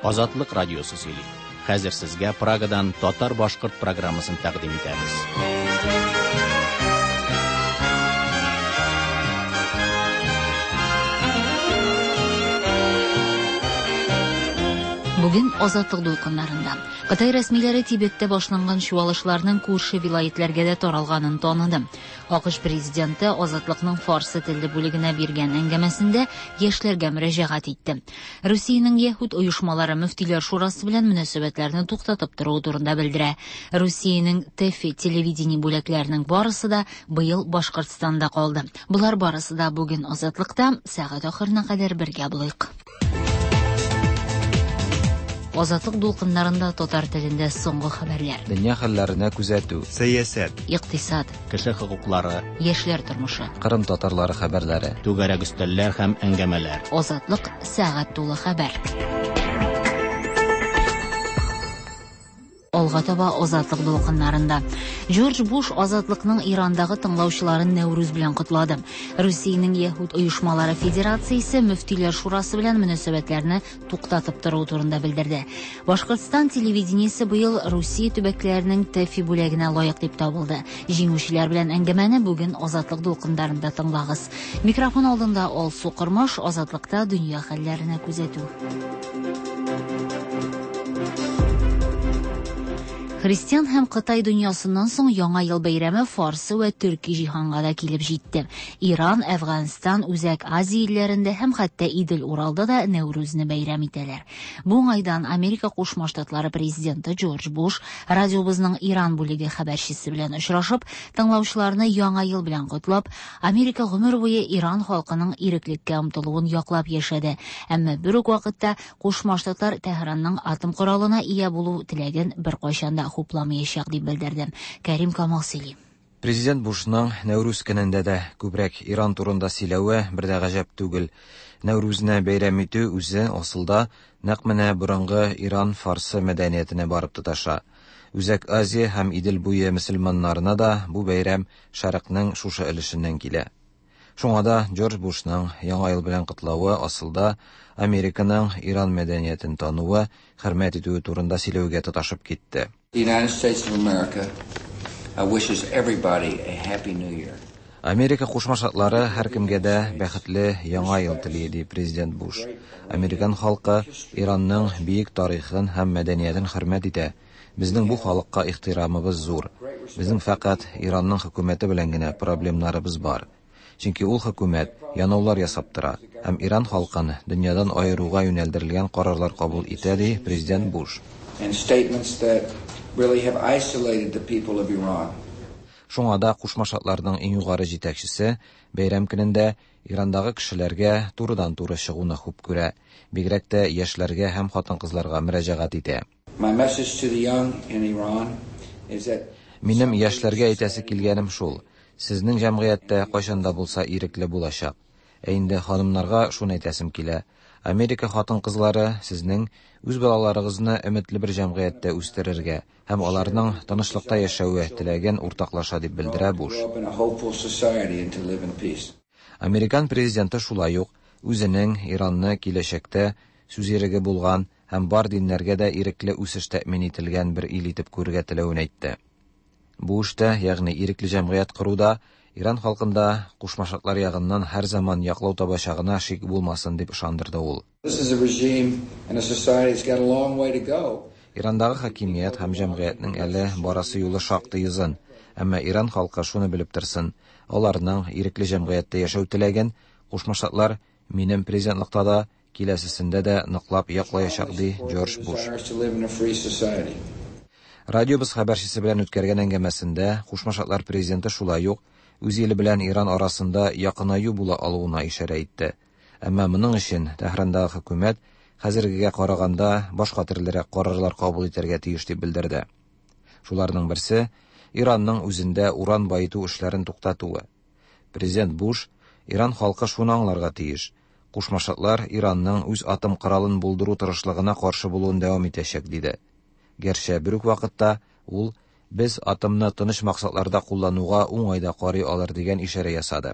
Азатлык радиосы сөйли. Хәзер сезгә Прагадан татар-башкорт программасын тәкъдим итәбез. Бүген Азатлык дулкыннарында. Кытай рәсмиләре Тибеттә башланган чуалышларның күрше вилаетләргә дә таралганын таныды. АКШ президенты Азатлыкның фарсы телле бүлегенә биргән әңгәмәсендә яшьләргә мөрәҗәгать итте. Русиянең яһүд оешмалары мөфтиләр шурасы белән мөнәсәбәтләрне туктатып торуы турында белдерә. Русиянең ТЭФИ телевидение бүләкләренең барысы да быел Башкортстанда калды. Болар барысы да бүген Азатлыкта, сәгать ахырына кадәр бергә булыйк. Азатлык дулкыннарында татар телендә соңгы хәбәрләр. Дөнья хәлләренә күзәтү. Сәясәт. Икътисад. Кеше хокуклары. Яшьләр тормышы. Кырым татарлары хәбәрләре. Түгәрәк өстәлләр һәм әңгәмәләр. Азатлык сәгать тулы хәбәр. Алга таба Азатлык дулкыннарында. Джордж Буш Азатлыкның Ирандагы тыңлаучыларын Нәүрүз белән котлады. Русиянең Яһүд оешмалары федерациясе мөфтиләр шурасы белән мөнәсәбәтләрне туктатып торуы турында белдерде. Башкортстан телевидениесе быел Русия төбәкләренең ТЭФИ бүләгенә лаек дип табылды. Җиңүчеләр белән әңгәмәне бүген Азатлык дулкыннарында тыңлагыз. Микрофон алдында Алсу Кормаш, Азатлыкта дөнья хәлләренә күзәтү. Христиан һәм Кытай дөньясыннан соң Яңа ел бәйрәме фарсы вә төрки җиһанга да килеп җитте. Иран, Әфганстан, Үзәк Азия илләрендә һәм хәтта Идел-Уралда да Нәүрүзне бәйрәм итәләр. Бу уңайдан Америка Кушма Штатлары президенты Джордж Буш радиобызның Иран бүлеге хәбәрчесе белән очрашып, тыңлаучыларны Яңа ел белән котлап, Америка гомер буе Иран халкының иреклеккә омтылуын яклап яшәде. Әмма бер үк вакытта Кушма Штатлар Тәһранның атом коралына ия булу теләген беркайчан да хупламаячак дип белдерде. Кәрим Камал сөйли. Президент Бушның Нәүрүз көнендә дә күбрәк Иран турында сөйләве бер дә гаҗәп түгел. Нәүрүзне бәйрәм итү үзе асылда нәкъ менә борынгы Иран фарсы мәдәниятенә барып тоташа. Үзәк Азия һәм Идел буе мөселманнарына да бу бәйрәм Шәрыкның шушы өлешеннән килә. Шуңа да Джордж Бушның Яңа ел белән котлавы асылда Американың Иран мәдәниятен тануы, хөрмәт итүе турында сөйләүгә тоташып китте. The United States of America wishes everybody a happy new year. Америка Кушма Штатлары һәркемгә дә бәхетле Яңа ел тели, ди президент Буш. Американ халкы Иранның биек тарихын һәм мәдәниятен хөрмәт итә. Безнең бу халыкка ихтирамыбыз зур. Безнең фәкать Иранның хөкүмәте белән генә проблемнарыбыз бар. Чөнки ул хөкүмәт янаулар ясап тора һәм Иран халкын дөньядан аеруга юнәлдерелгән карарлар кабул итә, ди президент Буш. And statements that really have isolated the people of Iran. Шуңа да Кушма Штатларның иң югары җитәкчесе бәйрәм көнендә Ирандагы кешеләргә турыдан-туры чыгуны хуп күрә, бигрәк тә яшьләргә һәм хатын-кызларга мөрәҗәгать итә. My message to the young in Iran is that Минем яшьләргә әйтәсе килгәнем шул: сезнең җәмгыятьтә кайчан да булса ирекле булачак. Ә инде ханымнарга шуны әйтәсем килә: Америка хатын-кызлары сезнең үз балаларыгызны өметле бер җәмгыятьтә үстерергә һәм аларның тынычлыкта яшәве теләген уртаклаша дип белдерә Буш. grow up in a hopeful society and to live in peace. Американ президенты шулай ук үзенең Иранны киләчәктә сүз иреге булган һәм бар диннәргә дә ирекле үсеш тәэмин ителгән бер ил итеп күрергә теләвен әйтте. Бу эштә, ягъни ирекле җәмгыять коруда Иран халкында Кушма Штатлар ягыннан һәр заман яклау табачагына шик булмасын дип ышандырды ул. This is a regime and a society that's got a long way to go. Ирандагы хакимият һәм җәмгыятьнең әле барасы юлы шактый озын. Әмма Иран халкы шуны белеп торсын: аларның ирекле җәмгыятьтә яшәү теләген Кушма Штатлар минем президентлыкта да, киләсесендә дә ныклап яклаячак, ди Джордж Буш. Desires to live in a free society. Радиобыз хәбәрчесе белән үткәргән әңгәмәсендә Кушма Штатлар президенты шулай ук үз иле белән Иран арасында якынаю була алуына ишарә итте. Әмма моның өчен Тәһрандагы хөкүмәт хәзергегә караганда башка төрлерәк карарлар кабул итәргә тиеш дип белдерде. Шуларның берсе Иранның үзендә уран баету эшләрен туктатуы. Президент Буш Иран халкы шуны аңларга тиеш: Кушма Штатлар Иранның үз атом коралын булдыру тырышлыгына каршы булуын дәвам итәчәк, диде. Гәрчә бер үк вакытта ул без атомны тыныч максатларда куллануга уңай да карый алыр дигән ишарә ясады.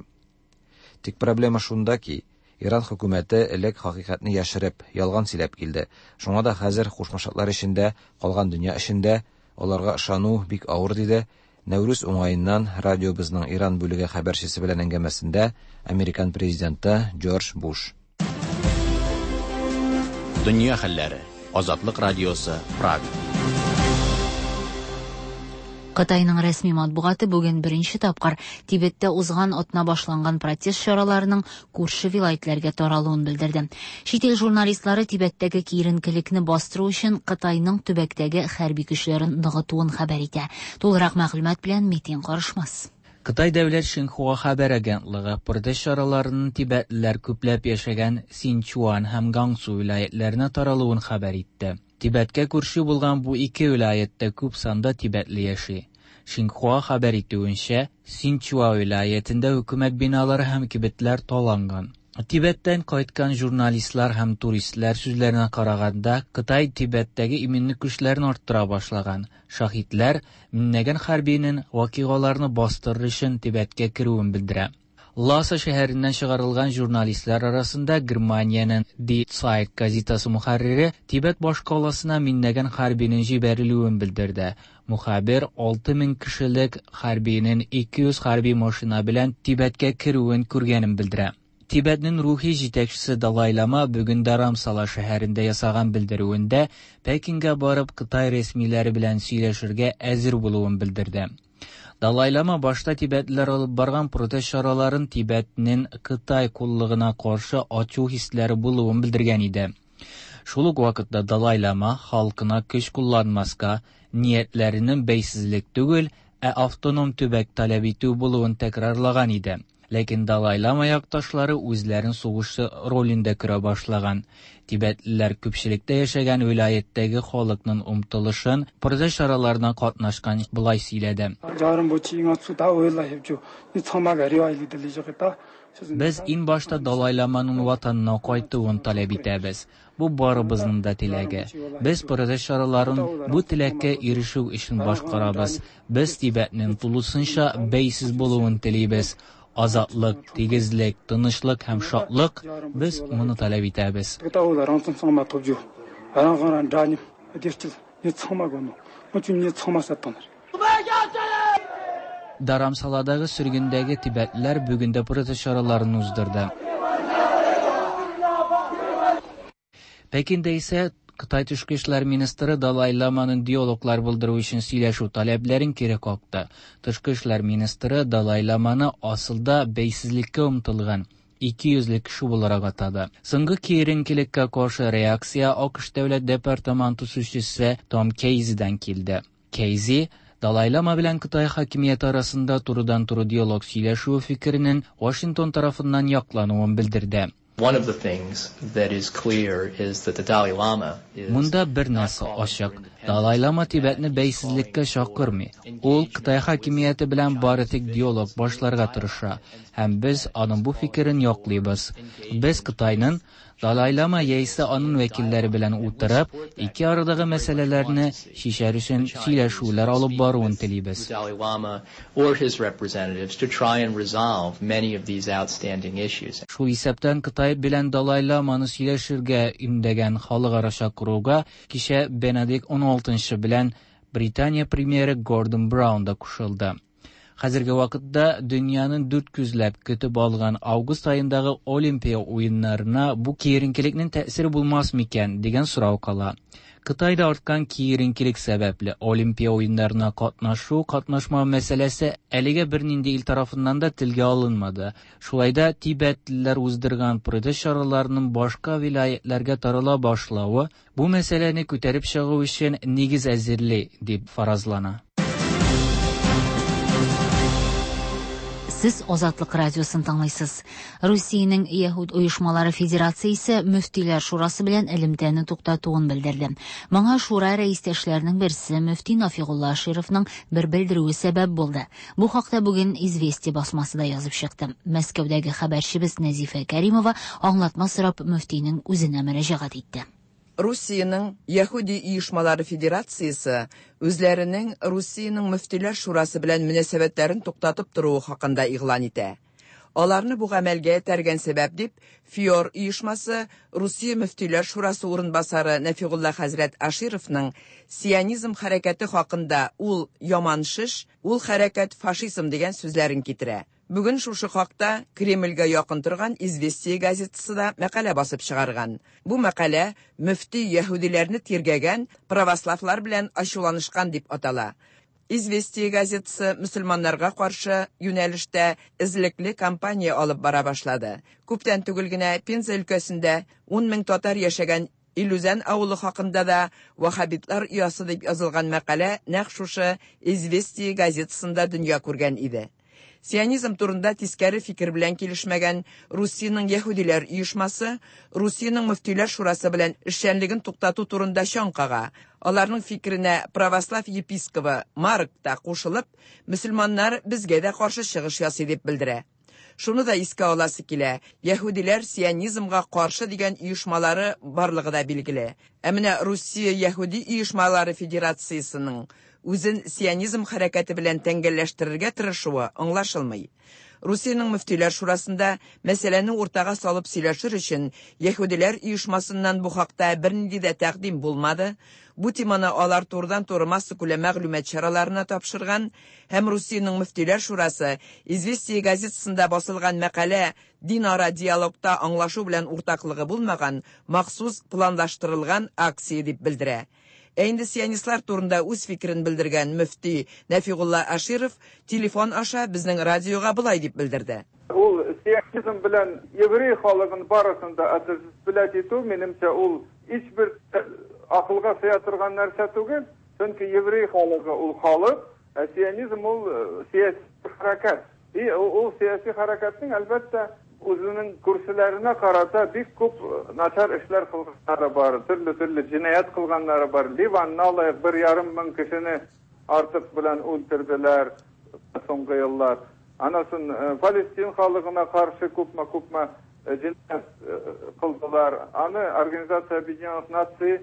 Тик проблема шунда ки, Иран хөкүмәте элек хакыйкатьне яшереп, ялган сөйләп килде. Шуңа да хәзер Кушма Штатлар өчен дә, калган дөнья өчен дә аларга ышану бик авыр, диде Нәүрүз уңаеннан радиобызның Иран бүлеге хәбәрчесе белән әңгәмәсендә американ президенты Джордж Буш. Дөнья хәлләре. Азатлык радиосы, Прага. Кытайның рәсми матбугаты бүген беренче тапкыр Тибеттә узган атна башланган протест чараларының күрше вилаетләргә таралуын белдерде. Чит ил журналистлары Тибеттәге киеренкелекне бастыру өчен Кытайның төбәктәге хәрби көчләрен ныгытуын хәбәр итә. Тулырак мәгълүмат белән Митин Карышмас. Кытай дәүләт Шинхуа хәбәр агентлыгы протест чараларының тибетлеләр күпләп яшәгән Синчуан һәм Гансу вилаетләренә таралуын хәбәр итте. Тибеткә күрше булган бу ике вилаеттә күп санда тибетле яши. Шинхуа хәбәр итүенчә, Синчуа вилаетендә хөкүмәт биналары һәм кибетләр таланган. Тибеттән кайткан журналистлар һәм туристлар сүзләренә караганда, Кытай Тибеттәге иминлек көчләрен арттыра башлаган. Шаһитләр меңләгән хәрбинең вакыйгаларны бастырыр өчен Тибеткә керүен белдерә. Ласа шәһәреннән чыгарылган журналистлар арасында Германиянең Die Zeit газетасы мөхәррире Тибет башкаласына меңләгән хәрбинең җибәрелүен белдерде. Мөхәррир 6000 кешелек хәрбинең 200 хәрби машина белән Тибеткә керүен күргәнен белдерә. Тибетнең рухи җитәкчесе Далай Лама бүген Дарамсала шәһәрендә ясаган белдерүендә Пекинга барып Кытай рәсмиләре белән сөйләшергә әзер булуын белдерде. Далай Лама башта тибетлеләр алып барган протест чараларын Тибетнең Кытай куллыгына каршы ачу хисләре булуын белдергән иде. Шул ук вакытта Далай Лама халкына көч кулланмаска, ниятләренең бәйсезлек түгел, ә автоном төбәк таләп итү булуын тәкрарлаган иде. Ләкин Далай Лама якташлары үзләрен сугышчы ролендә күрә башлаган. Тибетлеләр күпчелектә яшәгән вилаяттәге халыкның омтылышын протест чараларына катнашкан болай сөйләде. Без иң башта Далай Ламаның ватанына кайтуын таләп итәбез. Бу барыбызның да теләге. Без протест чараларын бу теләккә ирешү өчен башкарабыз. Без Тибетнең тулысынча бәйсез булуын телибез. Азатлык, тигезлек, тынычлык һәм шатлык без моны таләп итәбез. Дарамсаладагы сөргендәге тибетләр бүген дә протест чараларын уздырды. Пекинда исә Кытай тышкы эшләр министры Далай Ламаның диалоглар булдыру өчен сөйләшү таләпләрен кире какты. Тышкы эшләр министры Далай Ламаны асылда бәйсезлеккә омтылган 200 кеше буларак атады. Соңгы киеренкелеккә каршы реакция АКШ дәүләт департаменты сүзчесе Том Кейзидан килде. Кейзи Далай Лама белән Кытай хакимияте арасында турыдан-туры диалог сөйләшү фикеренең Вашингтон тарафыннан яклануын белдерде. One of the things that is clear is that the Dalai Lama is Монда бер нәрсә ачык. Далай Лама Тибетне бәйсезлеккә чакырмый. Ул Кытай хакимияте белән бары тик диалог башларга тырыша. Һәм без аның бу фикерен яклыйбыз. Без Кытайның Далай Лама яисә аның вәкилләре белән утырып, ике арадагы мәсьәләләрне чишәр өчен сөйләшүләр алып баруын телибез. Dalai Lama or his representatives to try and resolve many of these outstanding issues. Шул исәптән Кытай белән Далай Ламаны сөйләшергә өндәгән халыкара чакыруга кичә Бенедикт XVI белән Британия премьеры Гордон Браун да кушылды. Хәзерге вакытта дөньяның дүрт күзләп көтеп алган август аендагы Олимпия уеннарына бу киеренкелекнең тәэсире булмас микән дигән сорау кала. Кытайда арткан киеренкелек сәбәпле Олимпия уеннарына катнашу, катнашмау мәсьәләсе әлегә бернинди ил тарафыннан да телгә алынмады. Шулай да тибетлеләр уздырган протест чараларының башка вилаятләргә тарала башлавы бу мәсьәләне күтәреп чыгу өчен нигез әзерли дип фаразлана. Сез Азатлык радиосын тыңлыйсыз. Русиянең Яһүд оешмалары федерациясе Мөфтиләр шурасы белән элемтәне туктатуын белдерде. Моңа шура рәистәшләренең берсе мөфти Нафигулла Ашировның бер белдерүе сәбәп булды. Бу хакта бүген Известия басмасы да язып чыкты. Мәскәүдәге хәбәрчебез Нәзифә Кәримова аңлатма сорап мөфтинең үзенә мөрәҗәгать итте. Русиянең Яһүди оешмалары федерациясе үзләренең Русиянең мөфтиләр шурасы белән мөнәсәбәтләрен туктатып торуы хакында игълан итә. Аларны бу гамәлгә этәргән сәбәп дип ФИОР оешмасы Русия мөфтиләр шурасы урынбасары Нәфигулла хәзрәт Ашировның сионизм хәрәкәте хакында ул яман шеш, ул хәрәкәт фашизм дигән сүзләрен китерә. Бүген шушы хакта Кремльгә якын торган Известия газетасы да мәкалә басып чыгарган. Бу мәкалә мөфти яһүдиләрне тиргәгән, православлар белән ачуланышкан дип атала. Известия газетасы мөселманнарга каршы юнәлештә эзлекле кампания алып бара башлады. Күптән түгел генә Пенза өлкәсендә 10 мең татар яшәгән Илүзән авылы хакында да вахабитлар оясы дип язылган мәкалә нәкъ шушы Известия газетасында дөнья күргән иде. Сионизм турында тискәре фикер белән килешмәгән Русиянең яһүдиләр оешмасы Русиянең мөфтиләр шурасы белән эшчәнлеген туктату турында чаң кага. Аларның фикеренә православ епискобы Марк та кушылып, мөселманнар безгә дә каршы чыгыш ясый дип белдерә. Шуны да искә аласы килә, яһүдиләр сионизмга каршы дигән оешмалары барлыгы да билгеле. Ә менә Русия яһүди оешмалары федерациясенең үзен сионизм хәрәкәте белән тәңгәлләштерергә тырышуы аңлашылмый. Русиянең мөфтиләр шурасында мәсьәләне уртага салып сөйләшер өчен яһүдиләр оешмасыннан бу хакта бернинди дә тәкъдим булмады. Бу теманы алар турыдан-туры массакүләм мәгълүмат чараларына тапшырган һәм Русиянең мөфтиләр шурасы Известия газетасында басылган мәкалә динара диалогта аңлашу белән уртаклыгы булмаган махсус планлаштырылган акция дип белдерә. Ә инде сионистлар турында үз фикерен белдергән мөфти Нәфигулла Аширов телефон аша безнең радиога болай дип белдерде. Ул сионизм белән еврей халыгын барысын да отождествлять итү, минемчә, ул һичбер акылга сыя торган нәрсә түгел. Чөнки еврей халыгы ул халык, ә сионизм ул сәяси хәрәкәт. И ул сәяси хәрәкәтнең, әлбәттә, үзенең күршеләренә карата бик күп начар эшләр кылганнары бар, төрле-төрле җинаять кылганнары бар. Ливанны алыйк, 1,5 мең кешене артык белән үтерделәр соңгы еллар. Анасын Палестин халыгына каршы күпме-күпме җинаять кылдылар. Аны Организация Объединенных Наций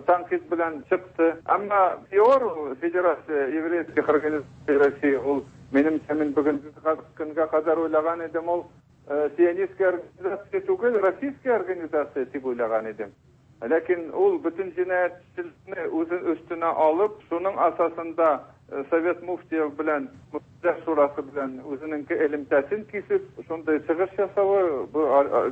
тәнкыйть белән чыкты. Әмма ФИОР, Федерация еврейских организаций России, ул минемчә, мин бүгенге көнгә кадәр уйлаган идем, ул сионистская организация түгел, российская организация дип уйлаган идем. Ләкин ул бөтен җинаятьчелекне үзен өстенә алып, шуның асасында Совет муфтиев белән Мөфтиләр шурасы белән үзенең элемтәсен кисеп, шундый чыгыш ясавы бу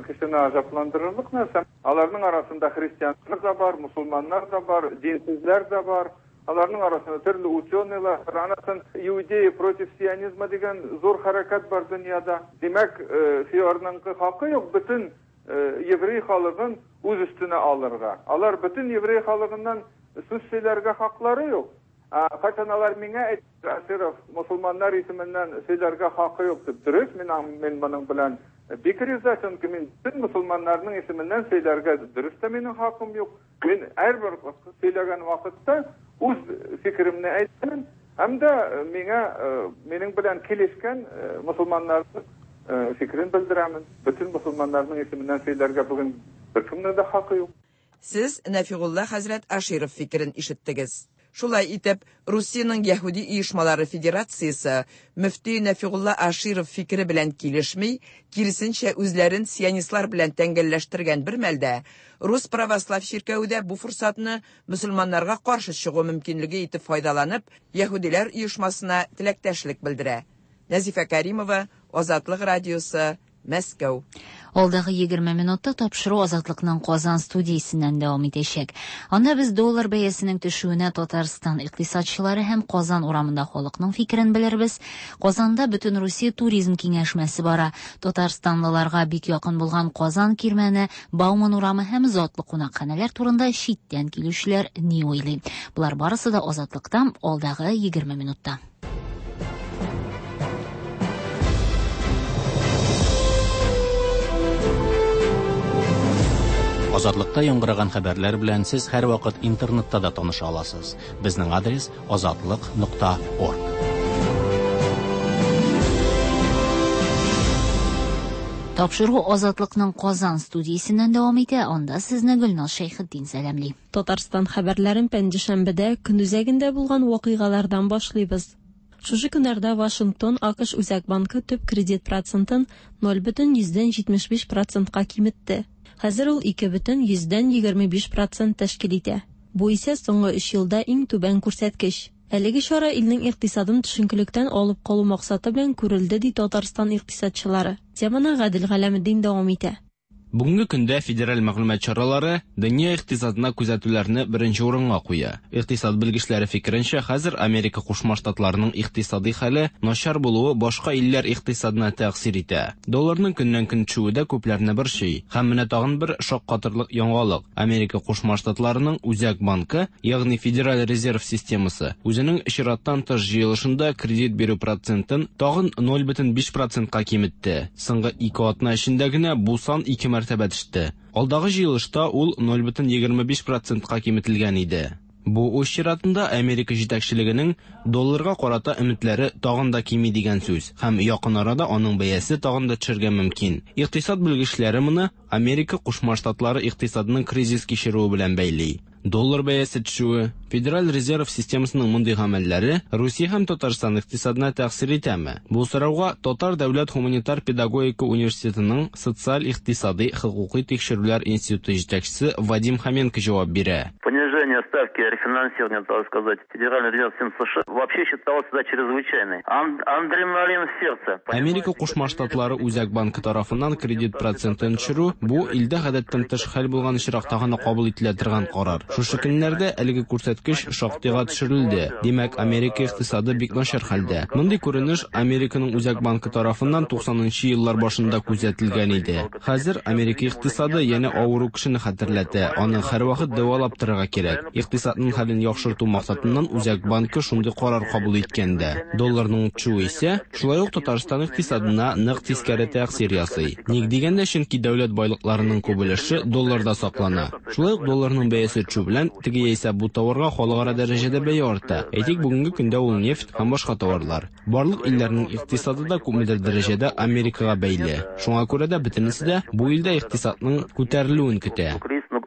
кешене гаҗәпләндерерлек нәрсә. Аларның арасында христианнар да бар, мусульманнар да бар, динсезләр дә бар. Аларның арасында төрле ученыйлар, анасын иудеи против сионизма дигән зур хәрәкәт бар дөньяда. Димәк, ФИОРның хакы юк бөтен еврей халыгын үз өстенә алырга. Алар бөтен еврей халыгыннан сүз сөйләргә хаклары юк. Кайчан алар миңа әйтте, Аширов мусульманнар исеменнән сөйләргә хакы юк дип. Дөрес, мин моның белән бик риза, чөнки мин бөтен мусульманнарның исеменнән сөйләргә дөрес тә минем хакым юк. Мин һәрбер сөйләгән вакытта үз фикеремне әйтәм, һәм дә миңа минем белән килешкән мусульманнарның фикерен белдерәмен. Бөтен мусульманнарның исеменнән сөйләргә бүген беркемнең дә хакы юк. Сез Нәфигулла хәзрәт Аширов фикерен ишеттегез. Шулай итеп, Русиянең яһүди оешмалары федерациясе мөфти Нәфигулла Аширов фикере белән килешми, киресенчә үзләрен сионистлар белән тәңгәлләштергән бер мәлдә Рус православ чиркәве дә бу форсатны мөселманнарга каршы чыгу мөмкинлеге итеп файдаланып, яһүдиләр оешмасына теләктәшлек белдерә. Нәзифә Каримова, Азатлык радиосы, Мәскәү. Алдагы 20 минутта тапшыру Азатлыкның Казан студиясеннән дәвам итәчәк. Анда без доллар бәясенең төшүенә Татарстан икътисадчылары һәм Казан урамында халыкның фикерен белербез. Казанда бөтен Русия туризм киңәшмәсе бара. Татарстанлыларга бик якын булган Казан кирмәне, Бауман урамы һәм затлы кунакханәләр турында читтән килүчеләр ни уйлый? Болар барысы да Азатлыктан алдагы 20 минутта. Азатлыкта яңгыраган хәбәрләр белән сез һәрвакыт интернетта да таныша аласыз. Безнең адрес azatliq.org. Тапшыру Азатлыкның Казан студиясеннән дәвам итә. Анда сезне Гөлназ Шәйхетдин сәламли. Татарстан хәбәрләрен пәнҗешәмбедә көн үзәгендә булган вакыйгалардан башлыйбыз. Шушы көннәрдә Вашингтон АКШ Үзәк банкы төп кредит процентын 0,75 процентка киметте. Хәзер ул 2,25 процент тәшкил итә. Бу исә соңгы өч елда иң түбән күрсәткеч. Әлеге чара илнең икътисадын төшенкелектән алып калу максаты белән күрелде, ди Татарстан икътисадчылары. Теманы Гадел Галәметдин дәвам итә. Бүгенге көндә федераль мәгълүмат чаралары дөнья икътисадына күзәтүләрне беренче урынга куя. Икътисад белгечләре фикеренчә, хәзер Америка Кушма Штатларының икътисадый хәле начар булуы башка илләр икътисадына тәэсир итә. Долларның көннән-көн төшүе дә күпләрне борчый. Һәм менә тагын бер шаккатырлык яңалык. Америка Кушма Штатларының Үзәк банкы, ягъни Федераль резерв системасы, үзенең чираттан тыш җыелышында кредит бирү процентын тагын 0,5 процентка киметте. Соңгы ике атна эчендә генә бу сан ике мәртәбә төште. Алдагы җыелышта ул 0,25 процентка киметелгән иде. Бу үз чиратында Америка җитәкчелегенең долларга карата өметләре тагын да кими дигән сүз һәм якын арада аның бәясе тагын да төшәргә мөмкин. Икътисад белгечләре моны Америка Кушма Штатлары икътисадының кризис кичерүе белән бәйли. Доллар бәясе төшүе, Федераль резерв системасының мондый гамәлләре Русия һәм Татарстан икътисадына тәэсир итәме? Бу сорауга Татар дәүләт һуманитар педагогика университетының социаль-икътисадый хокукый тикшерүләр институты җитәкчесе Вадим Хоменко җавап бирә. Понижение ставки рефинансирования, так сказать, Федеральный резерв США вообще считалось всегда чрезвычайной. Адреналин в сердце. Америка Кушма Штатлары Үзәк банкы тарафыннан кредит процентын төшерү бу илдә гадәттән тыш хәл булган очракта гына кабул ителә торган карар. Шушы көннәрдә әлеге күрсәткеч шактыйга төшерелде. Димәк, Америка икътисады бик начар хәлдә. Мондый күренеш Американың Үзәк банкы тарафыннан 90 нчы еллар башында күзәтелгән иде. Хәзер Америка икътисады янә авыру кешене хәтерләтә, аны һәрвакыт дәвалап торырга кирәк. Икътисадның хәлен яхшырту максатыннан Үзәк банкы шундый карар кабул иткән дә. Долларның төшүе исә, шулай ук Татарстан икътисадына нык тискәре тәэсир ясый. Ник дигәндә, чөнки дәүләт байлыкларының күп өлеше долларда саклана. Шулай ук долларның бәясе төшү белән, теге яисә бу товарга халыкара дәрәҗәдә бәя арта. Әйтик, бүгенге көндә ул нефть һәм башка товарлар. Барлык илләрнең икътисады да күпмедер дәрәҗәдә Америкага бәйле. Шуңа күрә дә бөтенесе дә бу илдә икътисадның күтәрелүен көтә.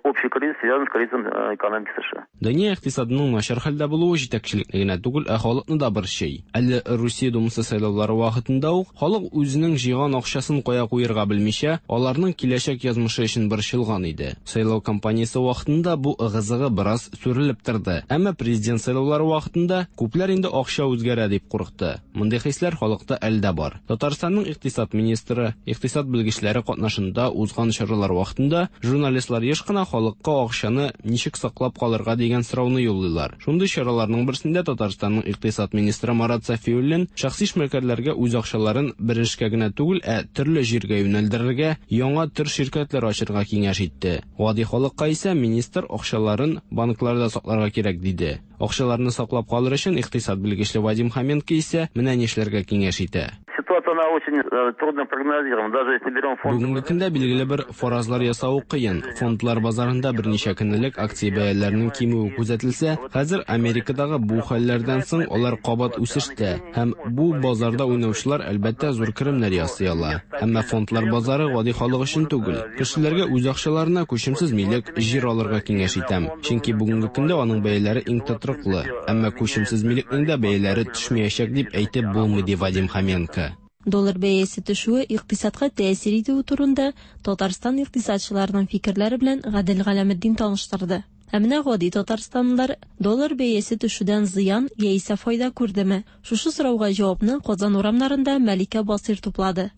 Общий кризис связан с кризисом экономики США. Дөнья икътисадының начар хәлдә булуы җитәкчелекне генә түгел, ә халыкны да борчый. Әле Русия Думасы сайлаулары вакытында ук халык үзенең җыйган акчасын кая куерга белмичә, аларның киләчәк язмышы өчен борчылган иде. Сайлау кампаниясе вакытында бу ыгы-зыгы бераз сүрелеп торды. Әмма президент сайлаулары вакытында күпләр инде акча үзгәрә дип курыкты. Мондый хисләр халыкта әле дә бар. Татарстанның икътисад министры, икътисад белгечләре катнашында узган чаралар вакытында журналистлар еш кына халыкка акчаны ничек саклап калырга дигән сорауны юллыйлар. Шундый чараларның берсендә Татарстанның икътисад министры Марат Сафиуллин шәхси эшмәкәрләргә үз акчаларын бер эшкә генә түгел, ә төрле җиргә юнәлдерергә, яңа төр ширкәтләр ачырга киңәш итте. Гади халыкка исә министр акчаларын банкларда сакларга кирәк диде. Акчаларны саклап калыр өчен икътисад белгечле Вадим Хоменко исә менә нишләргә киңәш итә. Ситуация она очень трудно прогнозируема. Даже если берем фонд... Бүгенге көндә билгеле бер фаразлар ясау кыен. Фондлар базарында берничә көн элек акция бәяләренең кимүе күзәтелсә, хәзер Америкадагы бу хәлләрдән соң алар кабат үсештә һәм бу базарда уйнаучылар, әлбәттә, зур керемнәр ясый ала. Әмма фондлар базары гади халык өчен түгел. Кешеләргә үз акчаларына күчемсез милек, җир алырга киңәш итәм. Чөнки бүгенге көндә аның бәяләре иң тотрыклы. Әмма күчемсез милекнең дә бәяләре төшмәячәк дип әйтеп булмый, ди Вадим Хоменко. Доллар бәясе төшүе икътисадка тәэсир итүе турында Татарстан икътисадчыларының фикерләре белән Гадел Галәметдин таныштырды. Ә менә гади татарстанлылар доллар бәясе төшүдән зыян яисә файда күрдеме? Шушы сорауга җавапны Казан урамнарында Мәликә Басыйр туплады.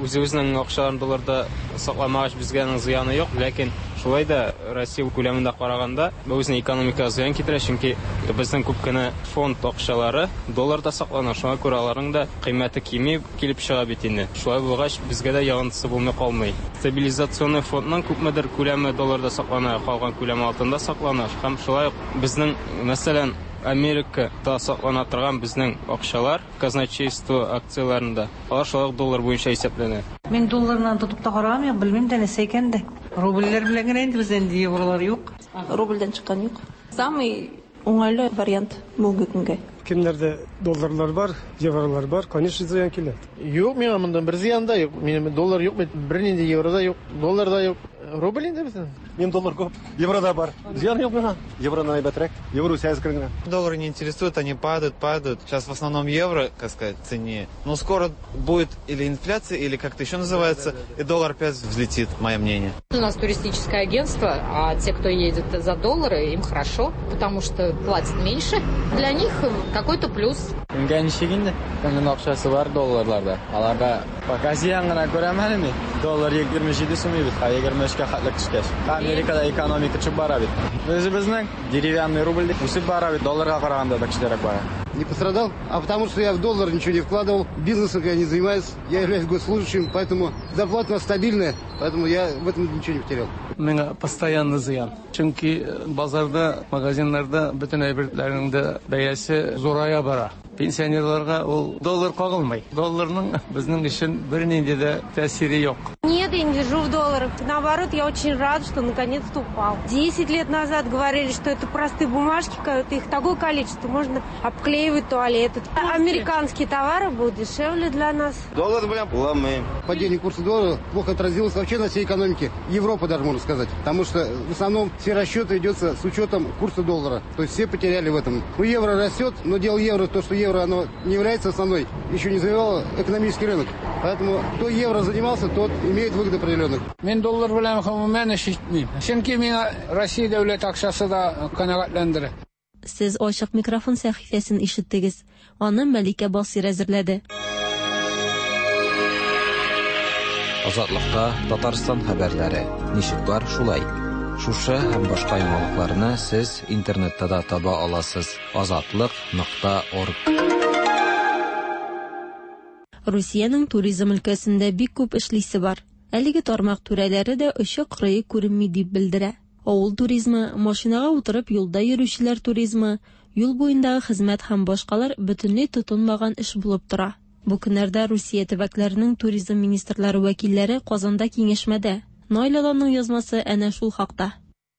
Үзебезнең акчаларны долларда сакламагач, безгә аның зыяны юк, ләкин шулай да Россия күләмендә караганда, бу безнең экономикага зыян китерә, чөнки безнең күп кенә фонд акчалары долларда саклана, шуңа күрә аларның да кыйммәте кими килеп чыга бит инде. Шулай булгач, безгә дә йогынтысы булмый калмый. Стабилизационный фондның күпмедер күләме долларда саклана, калган күләме алтында саклана һәм шулай ук безнең, мәсәлән, Америкада саклана торган безнең акчалар казначейство акцияләрендә, алар шулай ук доллар буенча исәпләнә. Мин долларны тотып та караган юк, белмим дә нәрсә икән дә. Рубльләр белән генә инде бездә инде евролар юк. Рубльдән чыккан юк. Самый уңайлы вариант бүгенге көнгә. Кемнәрдә долларлар бар, евролар бар, конечно, зыян килә. Юк, миңа моннан бер зыян да юк. Минем доллар юк бит, бернинди евро да юк, доллар да юк. Рубль инде безнең. Минем доллар күп, евро да бар. Зыян юк миңа. Евродан әйбәтрәк. Евро үсә әзрәк генә. Доллары не интересуют, они падают, падают. Сейчас в основном евро, как сказать, цене. Но скоро будет или инфляция, или как-то еще называется, и доллар опять взлетит, мое мнение. У нас туристическое агентство, а те, кто едет за доллары, им хорошо, потому что платят меньше. Для них какой-то плюс. Кемгә ничек инде? Кемнең акчасы бар долларларда? Аларга пока зыян гына күрәм әле мин. Доллар 27 сум бит, ә 23-кә хәтле төшкәч. Америкада экономика төшеп бара бит. Үзебезнең деревянный рубль үсеп бара бит, долларга караганда да көчлерәк бара. Не пострадал, а потому что я в доллар ничего не вкладывал, бизнесом я не занимаюсь, я являюсь госслужащим, поэтому зарплата у нас стабильная, поэтому я в этом ничего не потерял. Миңа постоянно зыян. Чөнки базарда, магазиннарда бөтен әйберләрнең дә бәясе зурая бара. Пенсионерларга ул доллар кагылмый. Долларның безнең өчен бернинди дә тәэсире юк. Нет, я не держу в долларах. Наоборот, я очень рад, что наконец-то упал. 10 лет назад говорили, что это простые бумажки, их такое количество, можно обклеивать туалеты. Американские товары будут дешевле для нас. Доллар белән кулланмыйм. Падение курса доллара плохо отразилось вообще на всей экономике Европы, даже можно сказать. Потому что в основном все расчеты идутся с учетом курса доллара. То есть все потеряли в этом. Ну, евро растет, но дело евро, то, что евро, оно не является основной, еще не завоевало экономический рынок. Поэтому кто евро занимался, тот имеет выгоды определенных. Мин доллар белән гомумән эш итмим. Чөнки миңа Россия дәүләт акчасы да канәгатьләндерә. Сез Ачык микрофон сәхифәсен ишеттегез. Аны Мәликә Басыйр әзерләде. Азатлыкта Татарстан хәбәрләре. Ничек бар, шулай. Шушы һәм башка яңалыкларны сез интернетта да таба аласыз. Азатлык.орг. Русиянең туризм өлкәсендә бик күп эшлисе бар. Әлеге тармак түрәләре дә очы-кырые күренми дип белдерә. Авыл туризмы, машинага утырып юлда йөрүчеләр туризмы, юл буендагы хезмәт һәм башкалар бөтенләй тотынмаган эш булып тора. Бу көннәрдә Русия төбәкләренең туризм министрлары вәкилләре Казанда киңәшмәдә. Наил Аланның язмасы әнә шул хакта.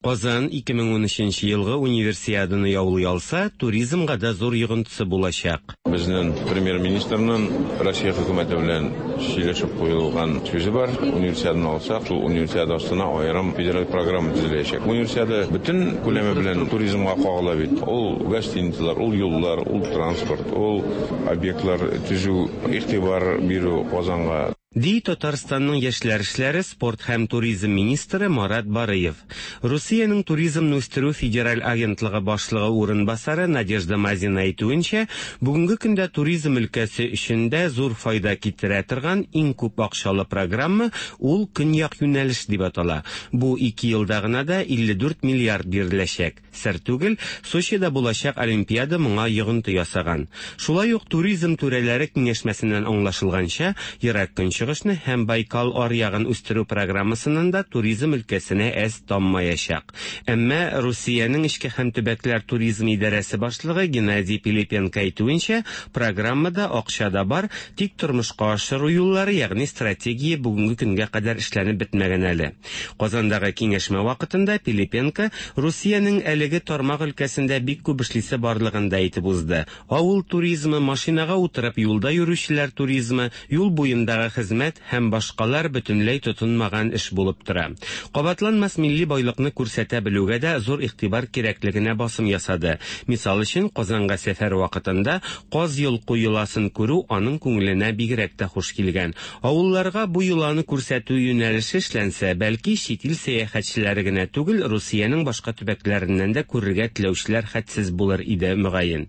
Казан 2013 елгы Универсиаданы яулый алса, туризмга да зур йогынтысы булачак. Безнең премьер-министрның Россия хөкүмәте белән сөйләшеп куелган сүзе бар. Универсиаданы алсак, шул универсиада астына аерым федераль программа төзеләчәк. Универсиада бөтен күләме белән туризмга кагыла бит. Ул гостиницалар, ул юллар, ул транспорт, ул объектлар төзү, игътибар бирү Казанга. Ди Татарстанның яшьләр эшләре, спорт һәм туризм министры Марат Барыев. Русиянең туризмны үстерү федераль агентлыгы башлыгы урынбасары Надежда Мазина әйтүенчә, бүгенге көндә туризм өлкәсе өчен дә зур файда китерә торган иң күп акчалы программа ул Көньяк юнәлеш дип атала. Бу ике елда гына да 54 миллиард биреләчәк. Сер түгел, Сочида булачак Олимпиада моңа йогынты ясаган. Шулай ук туризм түрәләре киңәшмәсеннән аңлашылганча, Ерак Көнчыгышны һәм Байкал аръягын үстерү программасыннан да туризм өлкәсенә әз таммаячак. Әмма Русиянең эчке һәм төбәкләр туризм идарәсе башлыгы Геннадий Пилипенко әйтүенчә, программада акча да бар, тик тормышка ашыру юллары, ягъни стратегия бүгенге көнгә кадәр эшләнеп бетмәгән әле. Казандагы киңәшмә вакытында Пилипенко Русиянең әлеге тармак өлкәсендә бик күп эшлисе барлыгын да әйтеп узды. Авыл туризмы, машинага утырып юлда йөрүчеләр туризмы, юл буендагы хезмәт һәм башкалар бөтенләй тотынмаган эш булып тора. Кабатланмас милли байлыкны күрсәтә белүгә дә зур игътибар кирәклегенә басым ясады. Мисал өчен, Казанга сәфәр вакытында каз йолку йоласын күрү аның күңеленә бигрәк тә хуш килгән. Авылларга бу йоланы күрсәтү юнәлеше эшләнсә, бәлки чит ил сәяхәтчеләре генә түгел, Русиянең башка төбәкләреннән дә күрергә теләүчеләр хәтсез булыр иде, мөгаен.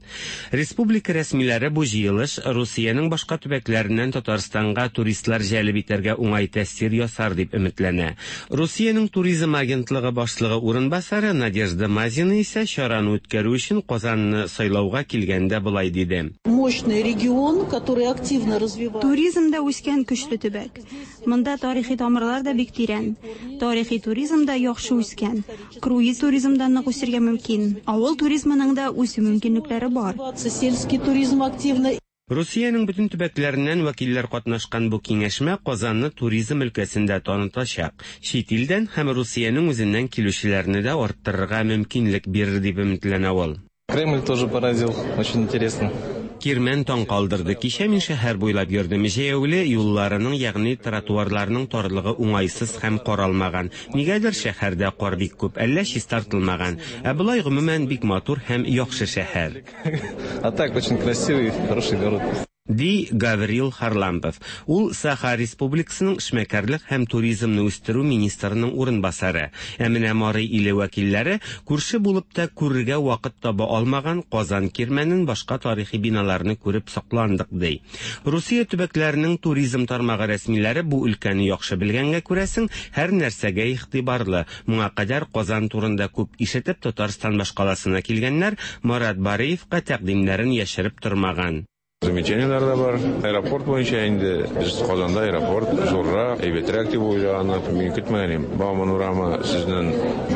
Республика рәсмиләре бу җыелыш Русиянең башка төбәкләреннән Татарстанга туристлар җәлеп итәргә уңай тәэсир ясар дип өметләнә. Русиянең туризм агентлыгы башлыгы урынбасары Надежда Мазина исә чараны үткәрү өчен Казанны сайлауга килгәндә болай диде. Мощный регион, который активно развивается. Туризмда үскән көчле төбәк. Монда тарихи тамырлар да бик тирән. Тарихи туризм да яхшы үскән. Круиз туризм да нык үсергә мөмкин. Авыл туризмының да үсү мөмкинлекләре бар. Сельский туризм активно. Русиянең бөтен төбәкләреннән вәкилләр катнашкан бу киңәшмә Казанны туризм өлкәсендә танытачак. Чит илдән һәм Русиянең үзеннән килүчеләрне дә арттырырга мөмкинлек бирер дип өметләнә ул. Кремль тоже поразил, очень интересно. Кирмән таң калдырды. Кичә мин шәһәр буйлап йөрдем. Җәяүле юлларының, ягъни тротуарларның тарлыгы уңайсыз һәм каралмаган. Нигәдер шәһәрдә кар бик күп, әллә чистартылмаган. Ә болай гомумән бик матур һәм яхшы шәһәр. А так очень красивый, хороший город. Ди Гаврил Харлампов. Ул Саха Республикасының эшмәкәрлек һәм туризмны үстерү министрының урынбасары. Ә менә Мари иле вәкилләре күрше булып та күрергә вакыт таба алмаган Казан кирмәнен, башка тарихи биналарны күреп сокландык, ди. Русия төбәкләренең туризм тармагы рәсмиләре бу өлкәне яхшы белгәнгә күрәсең, һәр нәрсәгә игътибарлы. Моңа кадәр Казан турында күп ишетеп Татарстан башкаласына килгәннәр Марат Бариевка тәкъдимнәрен яшереп тормаган. Замечаниеләр дә бар. Аэропорт буенча инде без Казанда аэропорт зуррак, әйбәтрәк дип уйлаган, мин көтмәгән идем. Бауман урамы сезнең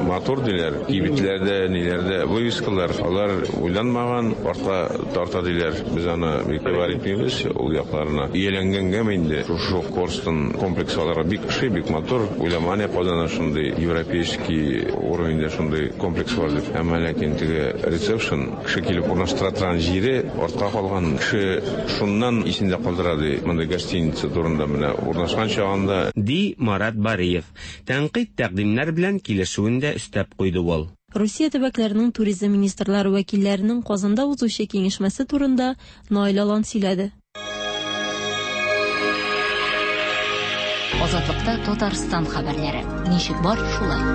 матур диләр. Кибетләрдә, ниләрдә вывескалар, алар уйланмаган, артка тарта диләр. Без аны бик игътибар итмибез ул якларына. Ияләнгәнгәме инде, шушы Корстон комплексы аларга бик ошый, бик матур. Уйламаган идек Казанда шундый европейский уровеньдә шундый комплекс бар дип. Әмма ләкин теге ресепшн, кеше килеп урнаштыра торган җире артка калган. Кеше шуннан исендә калдыра ди, мондый гостиница турында менә урнашкан чагында. Ди Марат Бариев. Тәнкыйть-тәкъдимнәр белән килешүен дә өстәп куйды ул. Русия төбәкләренең туризм министрлары вәкилләренең Казанда узучы киңәшмәсе турында Наил Алан сөйләде. Азатлыкта Татарстан хәбәрләре. Ничек бар, шулай.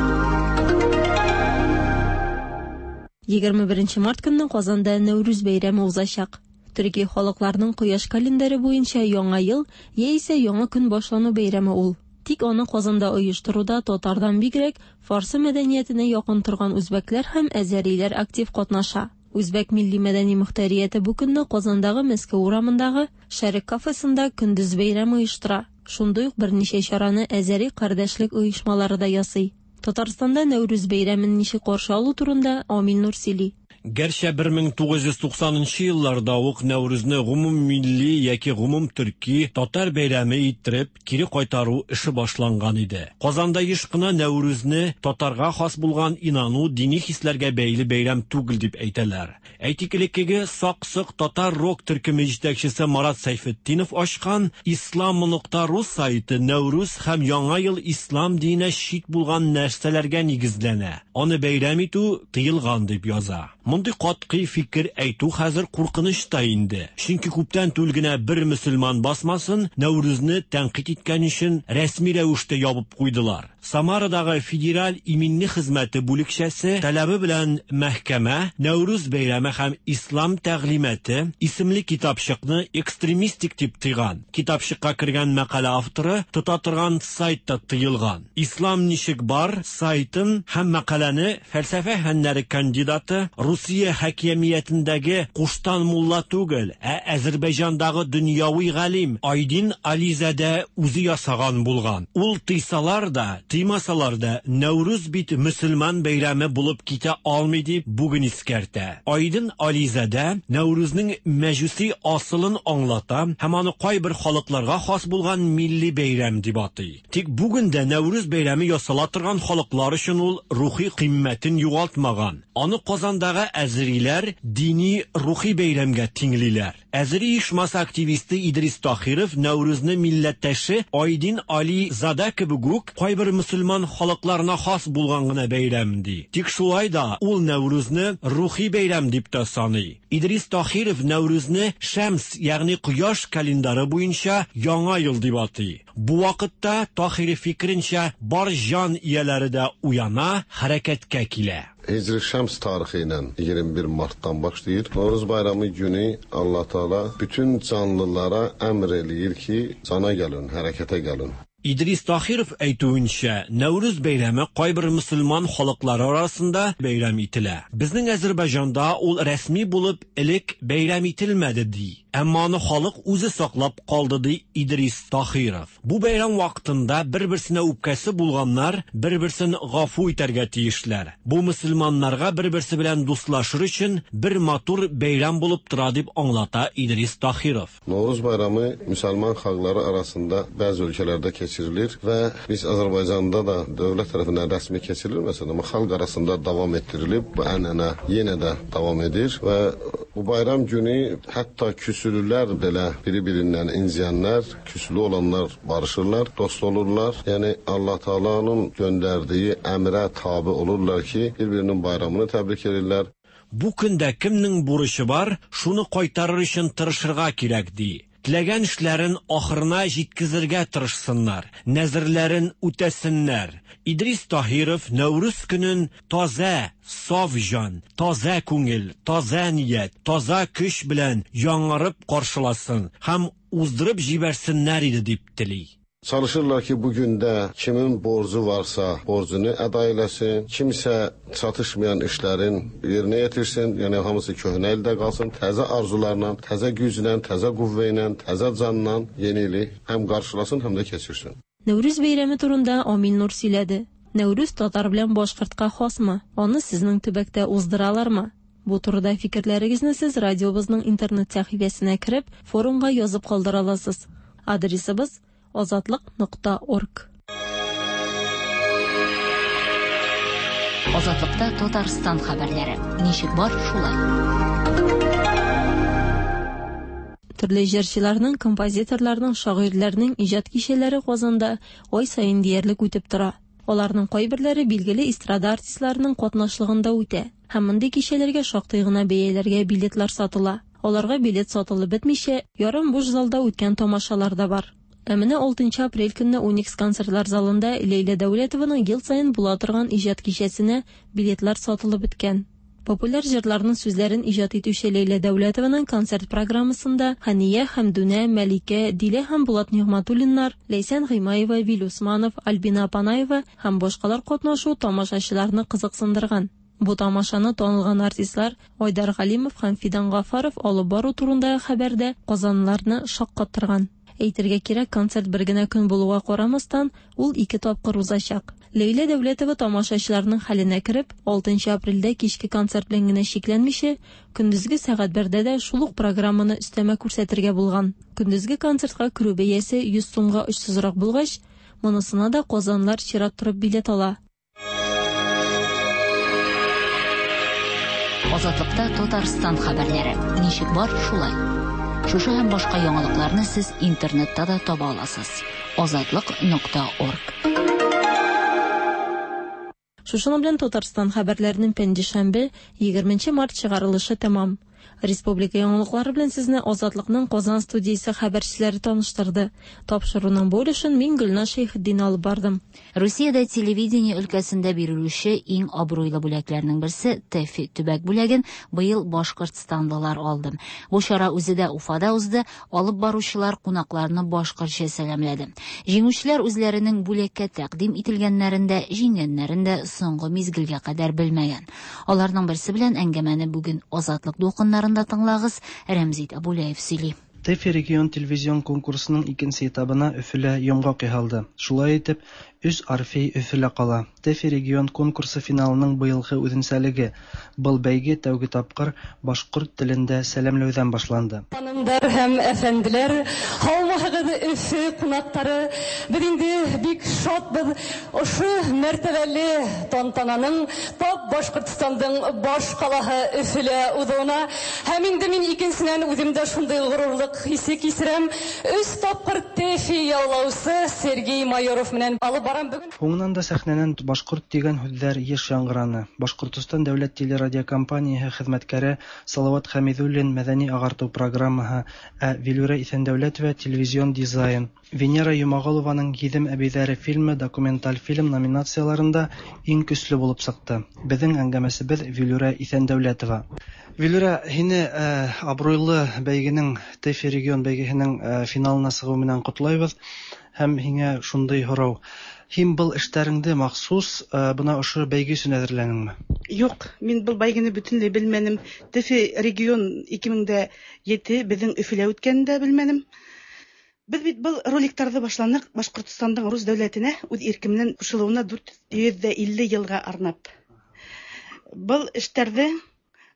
21 март көнне Казанда Нәүрүз бәйрәме узачак. Төрки халыкларның кояш календаре буенча Яңа ел яисә Яңа көн башлану бәйрәме ул. Тик аны Казанда оештыруда татардан бигрәк фарсы мәдәниятенә якын торган үзбәкләр һәм әзәриләр актив катнаша. Үзбәк милли-мәдәни мохтәрияте бу көнне Казандагы Мәскәү урамындагы Шәрык кафесында көндез бәйрәм оештыра. Шундый ук берничә чараны әзәри кардәшлек оешмалары да ясый. Татарстанда Нәүрүз бәйрәмен ничек каршы алу турында Амил Нур сөйли. Гәрчә 1990 нчы елларда ук Нәүрүзне гомуммилли яки гомумтөрки татар бәйрәме иттереп кире кайтару эше башланган иде. Казанда еш кына Нәүрүзне татарга хас булган инану, дини хисләргә бәйле бәйрәм түгел дип әйтәләр. Әйтик, элеккеге Сак-Сок татар рок төркеме җитәкчесе Марат Сәйфетдинов ачкан Ислам нокта ру сайты Нәүрүз һәм Яңа ел ислам диненә чит булган нәрсәләргә нигезләнә, аны бәйрәм итү тыелган дип яза. Мондый катгый фикер әйтү хәзер куркыныч та инде, чөнки күптән түгел генә бер мөселман басмасын Нәүрүзне тәнкыйть иткән өчен рәсми рәвештә ябып куйдылар. Самарадагы Федераль иминлек хезмәте бүлекчәсе таләбе белән мәхкәмә Нәүрүз бәйрәме һәм ислам тәгълиматы исемле китапчыкны экстремистик дип тыйган. Китапчыкка кергән мәкалә авторы тота торган сайт та тыелган. Ислам ничек бар сайтын һәм мәкаләне фәлсәфә фәннәре кандидаты Русия хакимиятендәге куштан мулла түгел, ә Әзербайҗандагы дөньяви галим Айдин Ализадә үзе ясаган булган. Ул тыйсалар да, тыймасалар да, Нәүрүз бит мөселман бәйрәме булып китә алмый дип бүген искәртә. Айдин Ализадә Нәүрүзнең мәҗүси асылын аңлата һәм аны кайбер халыкларга хас булган милли бәйрәм дип атый. Тик бүген дә Нәүрүз бәйрәме ясала торган халыклар өчен ул рухи кыйммәтен югалтмаган. Аны Казандагы әзериләр дини рухи бәйрәмгә тиңлиләр. Әзери оешмасы активисты Идрис Тахиров Нәүрүзне милләттәше Айдин Али Зада кебек үк кайбер мөселман халыкларына хас булган гына бәйрәм ди. Тик шулай да ул Нәүрүзне рухи бәйрәм дип тә саный. Идрис Тахиров Нәүрүзне Шәмс, ягъни кояш календары буенча Яңа ел дип атый. Бу вакытта Тахиров фикеренчә бар җан ияләре дә уяна, хәрәкәткә килә. Hicri Şəms tarixi ilə 21 martdan başlayır. Novruz bayramı günü Allah Taala bütün canlılara əmr eləyir ki, cana gəlin, hərəkətə gəlin. Идрис Тахиров әйтүенчә, Нәүрүз бәйрәме кайбер мөселман халыклары арасында бәйрәм ителә. Безнең Әзербайҗанда ул рәсми булып элек бәйрәм ителмәде ди. Әмма аны халык үзе саклап калды ди Идрис Тахиров. Бу бәйрәм вакытында бер-берсенә үпкәсе булганнар бер-берсен гафу итәргә тиешләр. Бу мөселманнарга бер-берсе белән дуслашыр өчен бер матур бәйрәм булып тора дип аңлата Идрис Тахиров. Novruz bayramı müsəlman xalqları arasında bəzi ölkələrdə keçirilir. keçirilir və biz Azərbaycanda da dövlət tərəfindən rəsmi keçirilməsə də, amma xalq arasında davam etdirilib, bu ənənə yenə də davam edir və bu bayram günü hətta küsülülər belə biri-birindən inciyənlər, küsülü olanlar barışırlar, dost olurlar. Yəni Allah Taala'nın göndərdiyi əmrə tabe olurlar ki, bir-birinin bayramını təbrik edirlər. Бу көндә кемнең бурычы бар, шуны кайтарыр өчен тырышырга кирәк, ди. Теләгән эшләрен ахырына җиткезергә тырышсыннар, нәзерләрен үтәсеннәр. Идрис Таһиров Нәүрүз көнен таза, саф җан, таза күңел, таза ният, таза көч белән яңарып каршыласын һәм уздырып җибәрсеннәр иде дип тели. Çalışırlar ki, bu gündə kimin borcu varsa borcunu əda eləsin, kimsə çatışmayan işlərin yerinə yetirsin, yəni hamısı köhnə ildə qalsın, təzə arzularla, təzə güclə, təzə qüvvə ilə, təzə canla yeni ili həm qarşılasın, həm də keçirsin. Нәүрүз бәйрәме турында Амил Нур сөйләде. Нәүрүз татар белән башкортка хасмы? Аны сезнең төбәктә уздыралармы? Бу турыда фикерләрегезне сез радиобызның интернет сәхифәсенә кереп, форумга язып калдыра аласыз. Адресыбыз азатлык.орг. Азатлыкта Татарстан хәбәрләре. Ничек бар, шулай. Төрле җырчыларның, композиторларның, шагыйрьләрнең иҗат кичәләре Казанда ай саен диярлек үтеп тора. Аларның кайберләре билгеле эстрада артистларының катнашлыгында үтә. Һәм мондый кичәләргә шактый гына бәяләргә билетлар сатыла. Аларга билет сатылып бетмичә, ярым буш залда үткән тамашалар да бар. Ә менә 6 апрель көнне Уникс концертлар залында Ләйлә Дәүләтованың ел саен була торган иҗат кичәсенә билетлар сатылып беткән. Популяр җырларның сүзләрен иҗат итүче Ләйлә Дәүләтованың концерт программасында Хәния Хәмдүнә, Мәликә, Дилә һәм Булат Нигъмәтуллиннар, Ләйсән Гыймаева, Вил Усманов, Альбина Апанаева һәм башкалар катнашу тамашачыларны кызыксындырган. Бу тамашаны танылган артистлар Айдар Галимов һәм Фидан Гафаров алып бару турындагы хәбәр дә казанлыларны шаккаттырган. Әйтергә кирәк, концерт бер генә көн булуга карамастан, ул ике тапкыр узачак. Ләйлә Дәүләтова тамашачыларның хәленә кереп, 6 апрельдә кичке концерт белән генә чикләнмичә, көндезге сәгать бердә дә шул ук программаны өстәмә күрсәтергә булган. Көндезге концертка керү бәясе 100 сумга очсызрак булгач, монысына да казанлылар чират торып билет ала. Азатлыкта Татарстан хәбәрләре. Ничек бар, шулай. Шушы һәм башка яңалыкларны сез интернетта да таба аласыз. Азатлык.орг. Шушының белән Татарстан хәбәрләренең пәнҗешәмбе, 20 март чыгарылышы тәмам. Республика яңалыклары белән сезне Азатлыкның Казан студиясе хәбәрчеләре таныштырды. Тапшыруның бу өлешен мин Гөлназ Шәйхетдин алып бардым. Русиядә телевидение өлкәсендә бирелүче иң абруйлы бүләкләрнең берсе ТЭФИ төбәк бүләген быел башкортстанлылар алды. Бу чара үзе дә Уфада узды, алып баручылар кунакларны башкортча сәламләде. Җиңүчеләр үзләренең бүләккә тәкъдим ителгәннәрен дә, җиңгәннәрен дә соңгы мизгелгә кадәр белмәгән. Аларның берсе белән әңгәмәне бүген Азатлык дулкыннарында тыңлагыз, Рәмзит Абулаев сөйли. ТЭФИ регион телевизион конкурсының икенче этабына Өфөлә йомгак яһалды. Шулай итеп, өч Орфей Өфөлә кала. ТЭФИ регион конкурсы финалының быелгы үзенчәлеге – был бәйге тәүге тапкыр башкорт телендә сәламләүдән башланды. Ханымдар һәм әфәнделәр, һаумыһыгыз, Өфе кунаклары! Без инде бик шатбыз ошо мәртәбәле тантананың тап Башкортстандың баш калаһы Өфөлә узуына. Һәм инде мин икенченән үзем дә шундый горурлык хисе кичерәм. Өч тапкыр ТЭФИ яулаучы Сергей Майоров белән алып барам бүген. Һуңынан да сәхнәнән башкорт дигән һүҙҙәр йыш яңгыраны. Башкортостан дәүләт телерадиокомпанияһы хеҙмәткәре Салават Хәмиҙуллин мәҙәни-ағартыу программаһы, ә Вилүрә Иҫәндәүләтова телевизион дизайн, Венера Йомағолованың Гиҙем әбейҙәре фильмы документаль фильм номинацияларында иң көслө булып сыҡты. Беҙҙең әңгәмәсебеҙ Вилүрә Иҫәндәүләтова. Вилүрә, һине абруйлы бәйгенең ТЭФИ регион бәйгеһенең финалына сығыу менән ҡотлайбыҙ. Һәм һиңә шундай һорау. Һин был эштәреңде махсус бына ошо бәйге өсөн әҙерләнеңме? Юҡ, мин был бәйгене бөтөнләй белмәнем. ТЭФИ регион 2007 беҙҙең Өфөлә үткәнен дә белмәнем. Беҙ бит был роликтарҙы башланыҡ Башҡортостандың рус дәүләтенә үҙ ирке менән ҡушылыуына 450 йылға арнап. Был эштәрҙе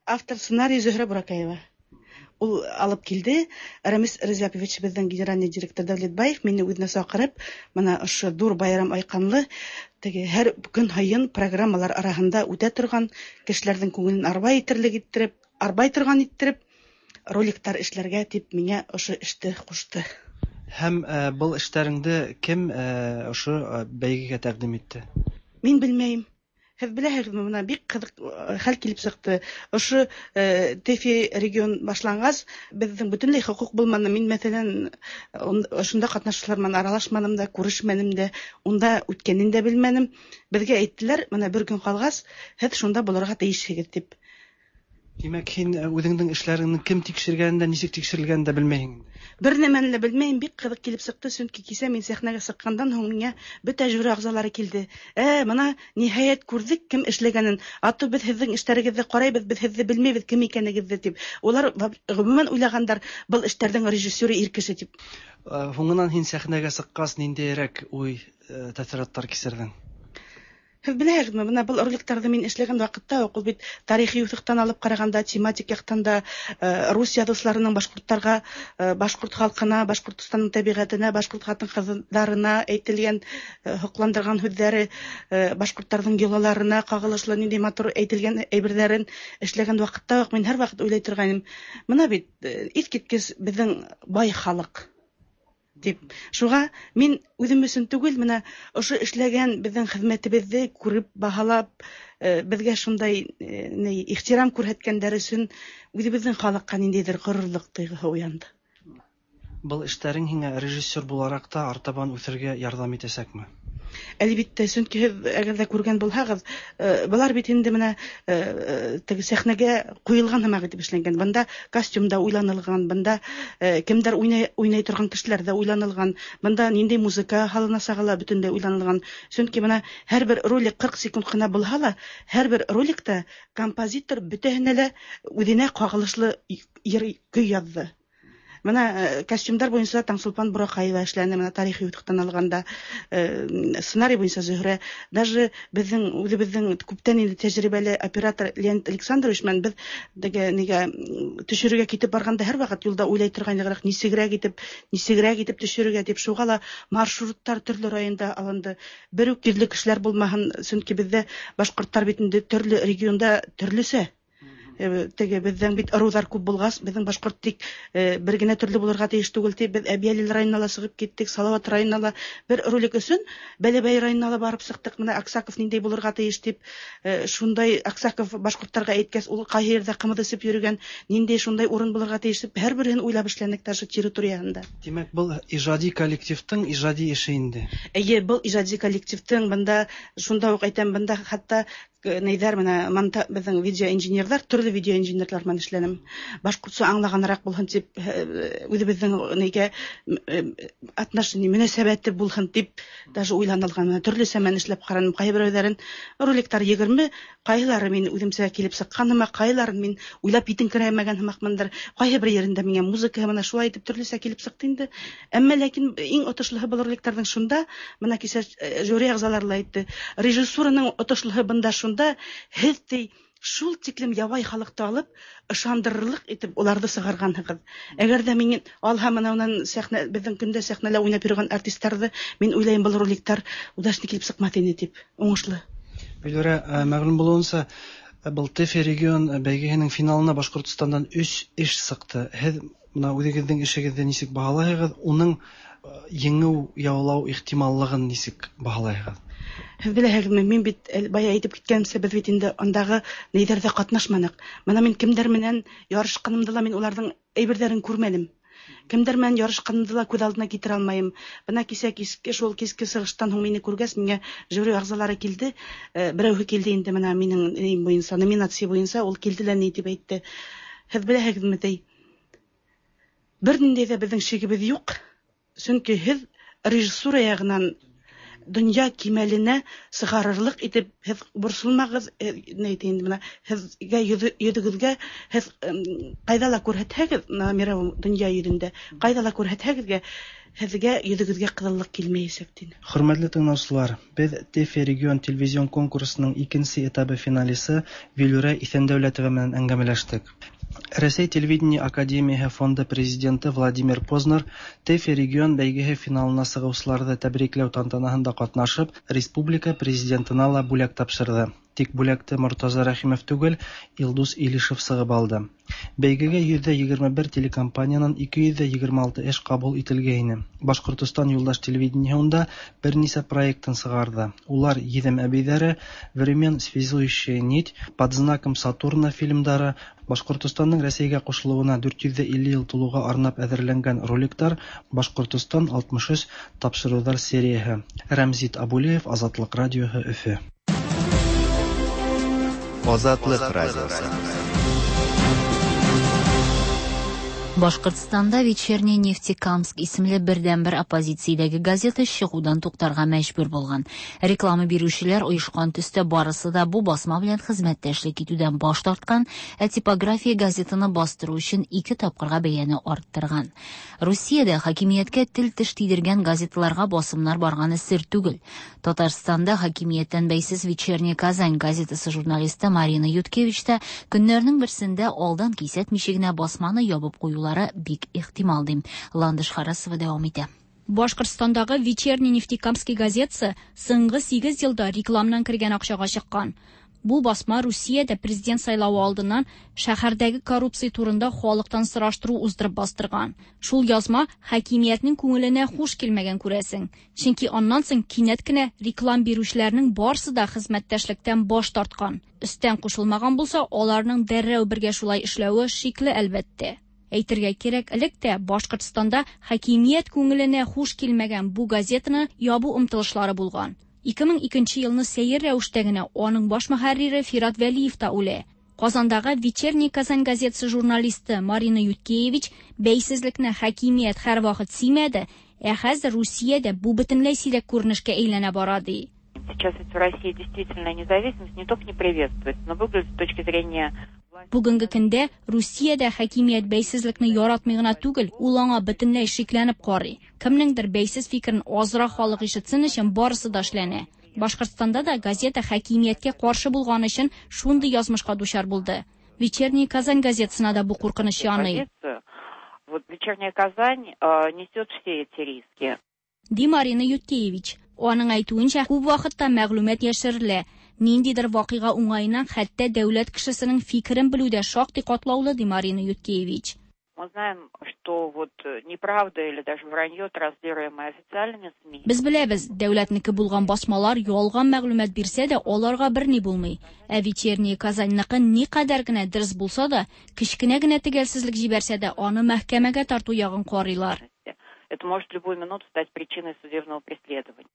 автор сценарий Зөһрә Буракаева. Ул алып килде. Рамис Рәҗәпович, безнең генеральный директор Дәүләтбаев мине үзенә чакырып, менә ошо зур байрам айканлы, теге һәр көн һайын программалар араһында үтә торган, кешеләрнең күңелен арбай итерлек иттереп, арбай торган иттереп, роликлар эшләргә дип миңа ошо эште кушты. Һәм был эшләреңде кем ошо бәйгегә тәкъдим итте? Мин белмәйм. Һеҙ беләһегеҙме, бына бик ҡыҙыҡ хәл килеп сыҡты. Ошо ТЭФИ регион башланғас, беҙҙең бөтөнләй хоҡуҡ булманы. Мин, мәҫәлән, ошонда ҡатнашыусылар менән аралашманым да, күрешмәнем дә, унда үткәнен дә белмәнем. Беҙгә әйттеләр, бына бер көн ҡалғас, һеҙ шунда булырға тейешһегеҙ тип. Тимәк, һин үҙеңдең эшләреңде кем тикшергәнен дә, нисек тикшерелгәнен дә белмәйһең инде. Бер нәмәне лә белмәйем, бик ҡыҙыҡ килеп сыҡты, сөнки кисә мин сәхнәгә сыҡҡандан һуң миңә бөтә жюри ағзалары килде. Мына ниһайәт күрҙек кем эшләгәнен. Ато беҙ һеҙҙең эштәрегеҙҙе ҡарайбыҙ, беҙ һеҙҙе белмәйбеҙ кем икәнегеҙҙе тип. Улар ғөмүмән уйлағандар, был эштәрҙең режиссеры ир кеше тип. Һуңынан һин сәхнәгә сыҡҡас ниндәйерәк уй, тәьҫораттар кисерҙең? Һеҙ беләһегеҙме, бына был роликтарҙы мин эшләгән ваҡытта уҡ, ул бит тарихи юҫыҡтан алып ҡарағанда, тематик яҡтан да, рус яҙыусыларының башҡорттарға, башҡорт халҡына, Башҡортостандың тәбиғәтенә, башҡорт ҡатын-ҡыҙҙарына әйтелгән, һоҡландырған һүҙҙәре, башҡорттарҙың йолаларына ҡағылышлы ниндәй матур әйтелгән әйберҙәрен эшләгән ваҡытта уҡ мин һәр ваҡыт уйлай торғайным. Бына бит, иҫ киткес беҙҙең бай халыҡ тип. Шуға мин үҙем өсөн түгел, бына ошо эшләгән беҙҙең хеҙмәтебеҙҙе күреп, баһалап, беҙгә шундай, ни, ихтирам күрһәткәндәр өсөн үҙебеҙҙең халыҡҡа ниндәйҙер ғорурлыҡ тойғоһо уянды. Был эштәрең һиңә режиссер булараҡ та артабан үҫергә ярҙам итәсәкме? Әлбиттә, сөнки һеҙ әгәр ҙә күргән булһағыҙ, былар бит инде бына, теге сәхнәгә ҡуйылған һымаҡ итеп эшләнгән. Бында костюм да уйланылған, бында, кемдәр уйнай торған кешеләр ҙә уйланылған, бында ниндәй музыка һалынасағы ла бөтөнләй уйланылған. Сөнки бына һәр бер ролик 40 секунд ҡына булһа ла, һәр бер роликта композитор бөтәһенә лә үҙенә ҡағылышлы йыр, көй яҙҙы. Бына костюмдар буйынса Таңсулпан Бураҡаева эшләне, бына тарихи юҫыҡтан алғанда, сценарий буйынса Зөһрә, даже беҙҙең үҙебеҙҙең күптән инде тәжрибәле оператор Леонид Александрович менән беҙ теге нигә, төшөрөргә китеп барғанда һәр ваҡыт юлда уйлай торғайныҡ, нисегерәк итеп, нисегерәк итеп төшөрөргә тип, шуға ла маршруттар төрлө районда алынды. Бер үк төрлө кешеләр булмаһын, сөнки беҙҙә башҡорттар бит инде төрлө регионда төрлөсә. Теге беҙҙең бит ырыуҙар күп булғас, беҙҙең башҡорт тик, бер генә төрлө булырға тейеш түгел тип, беҙ Әбйәлил районына ла сығып киттек, Салауат районына ла бер ролик өсөн Бәләбәй районына ла барып сыҡтыҡ. Бына Аксаков ниндәй булырға тейеш тип, шундай Аксаков башҡорттарға әйткәс, ул ҡайһы ерҙә ҡымыҙ эсеп йөрөгән, ниндәй шундай урын булырға тейеш тип, һәр береһен уйлап эшләнек даже территорияһында. Тимәк, был ижади коллективтың ижади эше инде. Эйе, был ижади коллективтың, бында шунда уҡ әйтәм, бында хатта нейҙәр, бына монта, беҙҙең видеоинженерҙар, төрлө видеоинженерҙар менән эшләнем. Башҡортса аңлағаныраҡ булһын тип, үҙебеҙҙең нейгә отношение, мөнәсәбәте булһын тип даже уйланылған. Бына төрлө сәмән эшләп ҡараным. Ҡайһы берәүҙәрен роликтар 20, ҡайһылары мин үҙемсә килеп сыҡҡан һымаҡ, ҡайһыларын мин уйлап етеңкерәмәгән һымаҡмындыр. Ҡайһы бер ерендә миңә музыка бына шулай итеп төрлөсә килеп сыҡты инде. Әммә ләкин иң отошлоһо был роликтарҙың шунда, бына кисә жюри ағзалары ла әйтте, режиссураның отошлоһо бында шунда, һеҙ ти шул тиклем ябай халыҡты алып, ышандырырлыҡ итеп уларҙы сығарғанһығыҙ. Әгәр ҙә мин алһам, бына унан сәхнә, беҙҙең көндә сәхнәлә уйнап йөрөгән артистарҙы, мин уйлайым, был роликтар удачно килеп сыҡмаҫ ине тип, уңышлы. Вилүрә, мәғлүм булыуынса, был ТЭФИ регион бәйгеһенең финалына Башҡортостандан 3 эш сыҡты. Һеҙ бына үҙегеҙҙең эшегеҙҙе нисек баһалайһығыҙ, уның еңеү яулау ихтималлығын нисек баһалайһығыҙ? Һеҙ беләһегеҙме, мин бит, бая әйтеп киткәнемсә, беҙ бит инде андағы нейҙәрҙә ҡатнашманыҡ. Бына мин кемдәр менән ярышҡанымды ла мин уларҙың әйберҙәрен күрмәнем. Кемдәр менән ярышҡанымды ла күҙ алдына килтерә алмайым. Бына кисә киске, шул киске сығыштан һуң мине күргәс, миңә жюри ағзалары килде. Берәүһе килде инде бына минең нейем буйынса, номинация буйынса, ул килде лә ни тип әйтте. Һеҙ беләһегеҙме, ти? Бер ниндәй ҙә беҙҙең шигебеҙ юҡ. Сөнки һеҙ режиссура яғынан донъя кимәленә сығарырлыҡ итеп һеҙ борсолмағыҙ, ни әйтә инде бына, һеҙгә йөҙөгөҙгә һеҙ ҡайҙа ла күрһәтһәгеҙ, бына мировой донъя йөҙөндә, ҡайҙа ла күрһәтһәгеҙгә, һеҙгә йөҙөгөҙгә ҡыҙыллыҡ килмәйәсәк, тине. Хөрмәтле тыңлаусылар, беҙ ТЭФИ регион телевизион конкурсының икенсе этабы финалисы Вилүрә Иҫәндәүләтова менән әңгәмәләштек. Рәсәй телевидение академияһе фонды президенты Владимир Познер ТЭФИ регион бәйгеһе финалына сыгыусыларҙы тәбрикләү тантанаһында ҡатнашып, республика президентына ла бүләк тапшырҙы. Тик бүләкте Мортаза Рәхимов түгел, Илдус Илишев сығып алды. Бәйгегә 121 телекомпаниянан 226 эш ҡабул ителгәйне. Башҡортостан юлдаш телевидениеһы унда бер нисә проектын сығарҙы. Улар Еҙем әбейҙәре, Времен связующая нить, Под знаком Сатурна фильмдары, Башҡортостандың Рәсәйгә ҡушылыуына 450 йыл тулыуға арнап әҙерләнгән роликтар, Башҡортостан 63 тапшырыуҙар серияһы. Рәмзит Абулеев, Азатлыҡ радиоһы, Өфө. Азатлык радиосы. Башкортстанда Вечерний Нефтекамск исемле бердәнбер оппозициядәге газета чыгудан туктарга мәҗбүр булган. Реклама бирүчеләр оешкан төстә барысы да бу басма белән хезмәттәшлек итүдән баш тарткан, ә типография газетаны бастыру өчен ике тапкырга бәяне арттырган. Русиядә хакимияткә тел-теш тидергән газеталарга басымнар барганы сер түгел. Татарстанда хакимияттән бәйсез Вечерняя Казань газетасы журналисты Марина Юткевич та көннәрнең берсендә алдан кисәтмичә генә басманы ябып куюлары бик ихтимал ди. Ландыш Харасова дәвам итә. Башкортстандагы Вечерний Нефтекамский газетасы соңгы 8 елда рекламнан кергән акчага чыккан. Бу басма Русиядә президент сайлавы алдыннан шәһәрдәге коррупция турында халыктан сораштыру уздырып бастырган. Шул язма хакимиятнең күңеленә хуш килмәгән күрәсең. Чөнки аннан соң кинәт кенә реклам бирүчеләрнең барсы да хезмәттәшлектән баш тарткан. Өстән кушылмаган булса, аларның дәррәү бергә шулай эшләве шикле әлбәттә. Әйтергә кирәк, элек тә Башкортстанда хакимият күңеленә хуш килмәгән бу газетаны ябу омтылышлары булган. 2002 елны сәер рәвештә генә аның баш мөхәррире Фират Вәлиев та үлә. Казандагы Вечерний Казань газетасы журналисты Марина Юткевич бәйсезлекне хакимият һәрвакыт сөймәде, ә хәзер Русиядә бу бөтенләй сирәк күренешкә әйләнә бара ди. Сейчас ведь в России действительно независимость не только не приветствуется, но выглядит с точки зрения Бүгенге көндә Русиядә хакимият бәйсезлекне яратмый гына түгел, ул аңа бөтенләй шикләнеп карый. Кемнеңдер бәйсез фикерен азрак халык ишетсен өчен барысы да эшләнә. Башкортстанда да газета хакимияткә каршы булган өчен шундый язмышка дучар булды. Вечерний Казань газетасына да бу куркыныч яный. Вот Вечерняя Казань несет все эти риски. Ди Марина Юткевич. Аның әйтүенчә, күп вакытта мәгълүмат яшерелә. Ниндидер вакыйга уңаеннан хәтта дәүләт кешесенең фикерен белү дә шактый катлаулы, ди Марина Юткевич. Мы знаем, что вот неправда или даже вранье, транслируемое официальными СМИ. Без беләбез, дәүләтнеке булган басмалар ялган мәгълүмат бирсә дә, аларга берни булмый. Ә Вечерняя Казаньныкы никадәр генә дөрес булса да, кечкенә генә төгәлсезлек җибәрсә дә, аны мәхкәмәгә тарту ягын карыйлар. Это может в любую минуту стать причиной судебного преследования.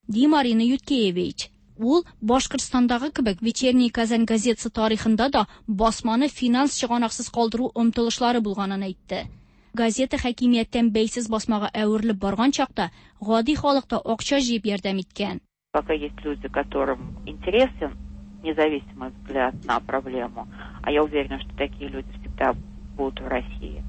Ди Марина Юткевич. Ул Башкортстандагы кебек Вечерний Казань газетасы тарихында да басманы финанс чыганаксыз калдыру омтылышлары булганын әйтте. Газета хакимияттән бәйсез басмага әверелеп барган чакта гади халык та акча җыеп ярдәм иткән. Пока есть люди, которым интересен независимый взгляд на проблему, а я уверена, что такие люди всегда будут в России.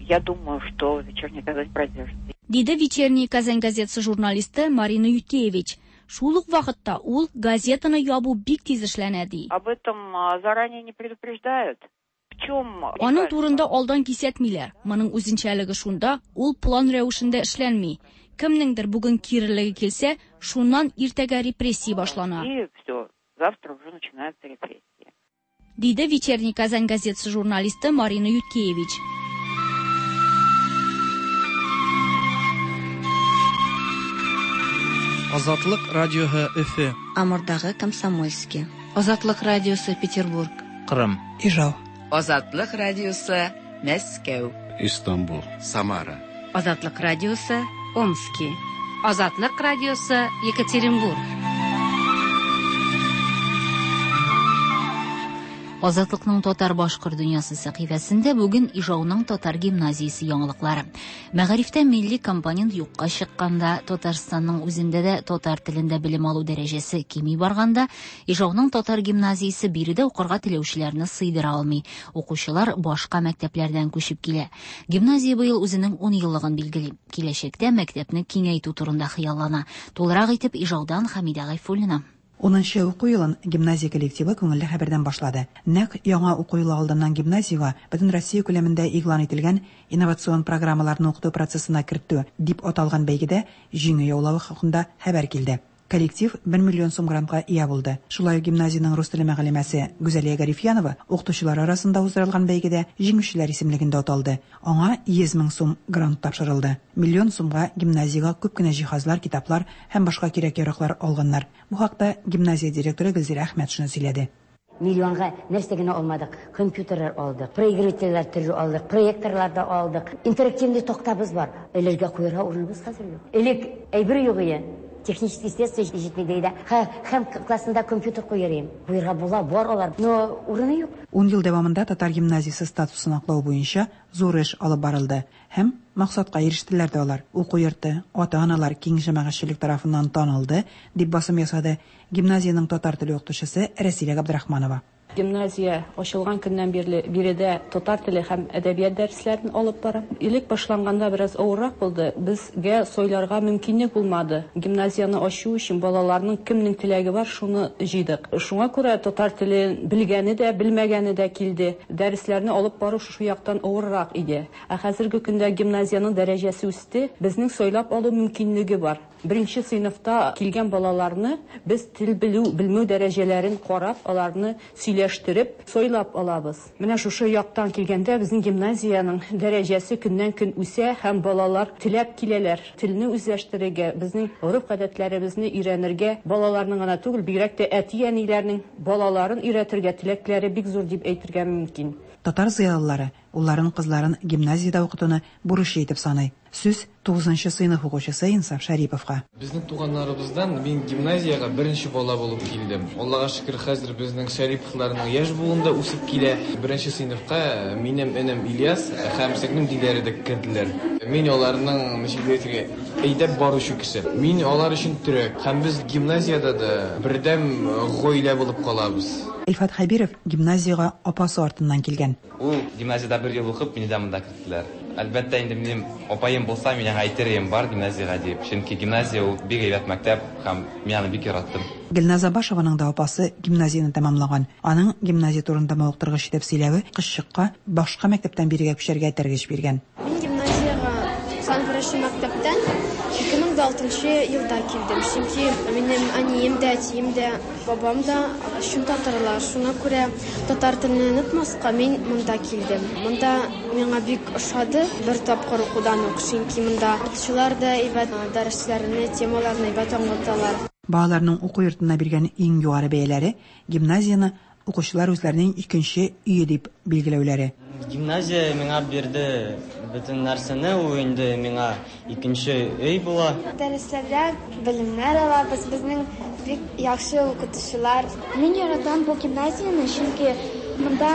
Я думаю, что Вечерняя Казань продержится. Диде Вечерний Казань газетасы журналисты Марина Юткевич. Шул ук вакытта ул газетаны ябу бик тиз эшләнә ди. Об этом заранее не предупреждают. В чем Аның турында алдан кисәтмиләр. Моның үзенчәлеге шунда, ул план рәвешендә эшләнми. Кемнеңдер бүген кирелеге килсә, шуннан иртәгә репрессия башлана. И все, завтра уже начинаются репрессии. Диде Вечерний Казань газетасы журналисты Марина Юткевич. Азатлык радиоһы Өфе. Амурдагы Комсомольский. Азатлык радиосы Петербург. Кырым. Ижау. Азатлык радиосы Мәскәү. Истанбул. Самара. Азатлык радиосы Омски. Азатлык радиосы Екатеринбург. Азатлыкның татар башкорт дөньясы сәхифәсендә бүген Ижауның татар гимназиясе яңалыклары. Мәгарифтә милли компонент юкка чыкканда, Татарстанның үзендә дә татар телендә белем алу дәрәҗәсе кими барганда, Ижауның татар гимназиясе биредә укырга теләүчеләрне сыйдыра алмый. Укучылар башка мәктәпләрдән күчеп килә. Гимназия быел үзенең 10 еллыгын билгели. Киләчәктә мәктәпне киңәйтү турында хыяллана. Тулырак итеп Ижаудан Хамидә Гайфуллина. Унынчы уку елын гимназия коллективы күңелле хәбәрдән башлады. Нәкъ яңа уку елы алдыннан гимназиягә Бөтенроссия күләмендә игълан ителгән Инновацион программаларны укыту процессына кертү дип аталган бәйгедә җиңү яулавы хакында хәбәр килде. Коллектив бер миллион сум грантка ия булды. Шулай ук гимназиянең рус теле мөгаллимәсе Гүзәлия Гарифьянова укытучылар арасында уздырылган бәйгедә җиңүчеләр исемлегендә аталды. Аңа 100 мең сум грант тапшырылды. Миллион сумга гимназиягә күп кенә җиһазлар, китаплар һәм башка кирәк-яраклар алганнар. Бу хакта гимназия директоры Гөлзирә Әхмәтшина сөйләде. Миллионга нәрсә генә алмадык, компьютерлар алдык, проигрывательләр төрле алдык, проекторлар да алдык. Интерактивный тактабыз бар. Элергә куярга урыныбыз хәзер юк. Элек әйбер юк ие, технический средства җитми ди дә. Һәм классында компьютер куер идем. Куярга була, бар алар, но урыны юк. Ун ел дәвамында татар гимназиясе статусын аклау буенча зур эш алып барылды. Һәм максатка ирештеләр дә алар. Уку йорты ата-аналар, киң җәмәгатьчелек тарафыннан танылды, дип басым ясады гимназиянең татар теле укытучысы Рәсилә Габдрахманова. Гимназия ачылган көннән бирле биредә татар теле һәм әдәбият дәресләрен алып барам. Элек башланганда бераз авыррак булды, безгә сайларга мөмкинлек булмады. Гимназияне ачу өчен балаларның кемнең теләге бар, шуны җыйдык. Шуңа күрә татар телен белгәне дә, белмәгәне дә килде. Дәресләрне алып бару шушы яктан авыррак иде. Ә хәзерге көндә гимназиянең дәрәҗәсе үсте, безнең сайлап алу мөмкинлеге бар. Беренче сыйныфта килгән балаларны без тел белү, белмәү дәрәҗәләрен карап, аларны сөйләштереп, сайлап алабыз. Менә шушы яктан килгәндә, безнең гимназиянең дәрәҗәсе көннән-көн үсә һәм балалар теләп киләләр. Телне үзләштерергә, безнең гореф-гадәтләребезне өйрәнергә, балаларның гына түгел, бигрәк тә әти-әниләрнең балаларын өйрәтергә теләкләре бик зур дип әйтергә мөмкин. Татар зыялылары улларын, кызларын гимназиядә укытуны бурычы итеп саный. Сүз, тугызынчы сыйныф укучысы Инсаф Шәриповка. Безнең туганнарыбыздан мин гимназиягә беренче бала булып килдем. Аллага шөкер, хәзер безнең Шәриповларның яшь буын да үсеп килә. Беренче сыйныфка минем энем Ильяс һәм сеңлем Диләрә дә керделәр. Мин аларның, ничек дип әйтергә, әйдәп баручы кеше. Мин алар өчен терәк. Һәм без гимназиядә дә бердәм гаилә булып калабыз. Илфат Хәбиров гимназиягә апасы артыннан килгән. Ул гимназиядә бер ел укып, мине дә монда керттеләр. Әлбәттә инде, минем апаем булса, мин аңа әйтер идем, бар гимназиягә дип. Чөнки гимназия ул бик әйбәт мәктәп һәм мин аны бик яраттым. Гөлназ Абашеваның да апасы гимназияне тәмамлаган. Аның гимназия турында мавыктыргыч итеп сөйләве кызчыкка башка мәктәптән бирегә күчәргә этәргеч биргән. Мин гимназиягә 91 нче мәктәптән 2006 нчы елда килдем, чөнки минем әнием дә, әтием дә Бабам да чын татарлар, шуңа күрә татар телен онытмаска мин монда килдем. Монда миңа бик ошады бер тапкыр укудан ук, чөнки монда укытучылар да әйбәт, дәресләрне, темаларны әйбәт аңлаталар. Балаларның уку йортына биргән иң югары бәяләре, гимназияне укучылар үзләренең икенче өе дип билгеләүләре. Гимназия миңа бирде бөтен нәрсәне, ул инде миңа икенче өй була. Дәресләрдә белемнәр алабыз, безнең бик яхшы укытучылар. Мин яратам бу гимназияне, чөнки монда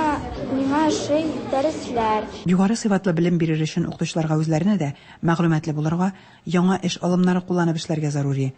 миңа ошый дәресләр. Югары сыйфатлы белем бирер өчен укытучыларга үзләренә дә мәгълүматлы булырга, яңа эш алымнары кулланып эшләргә зарури.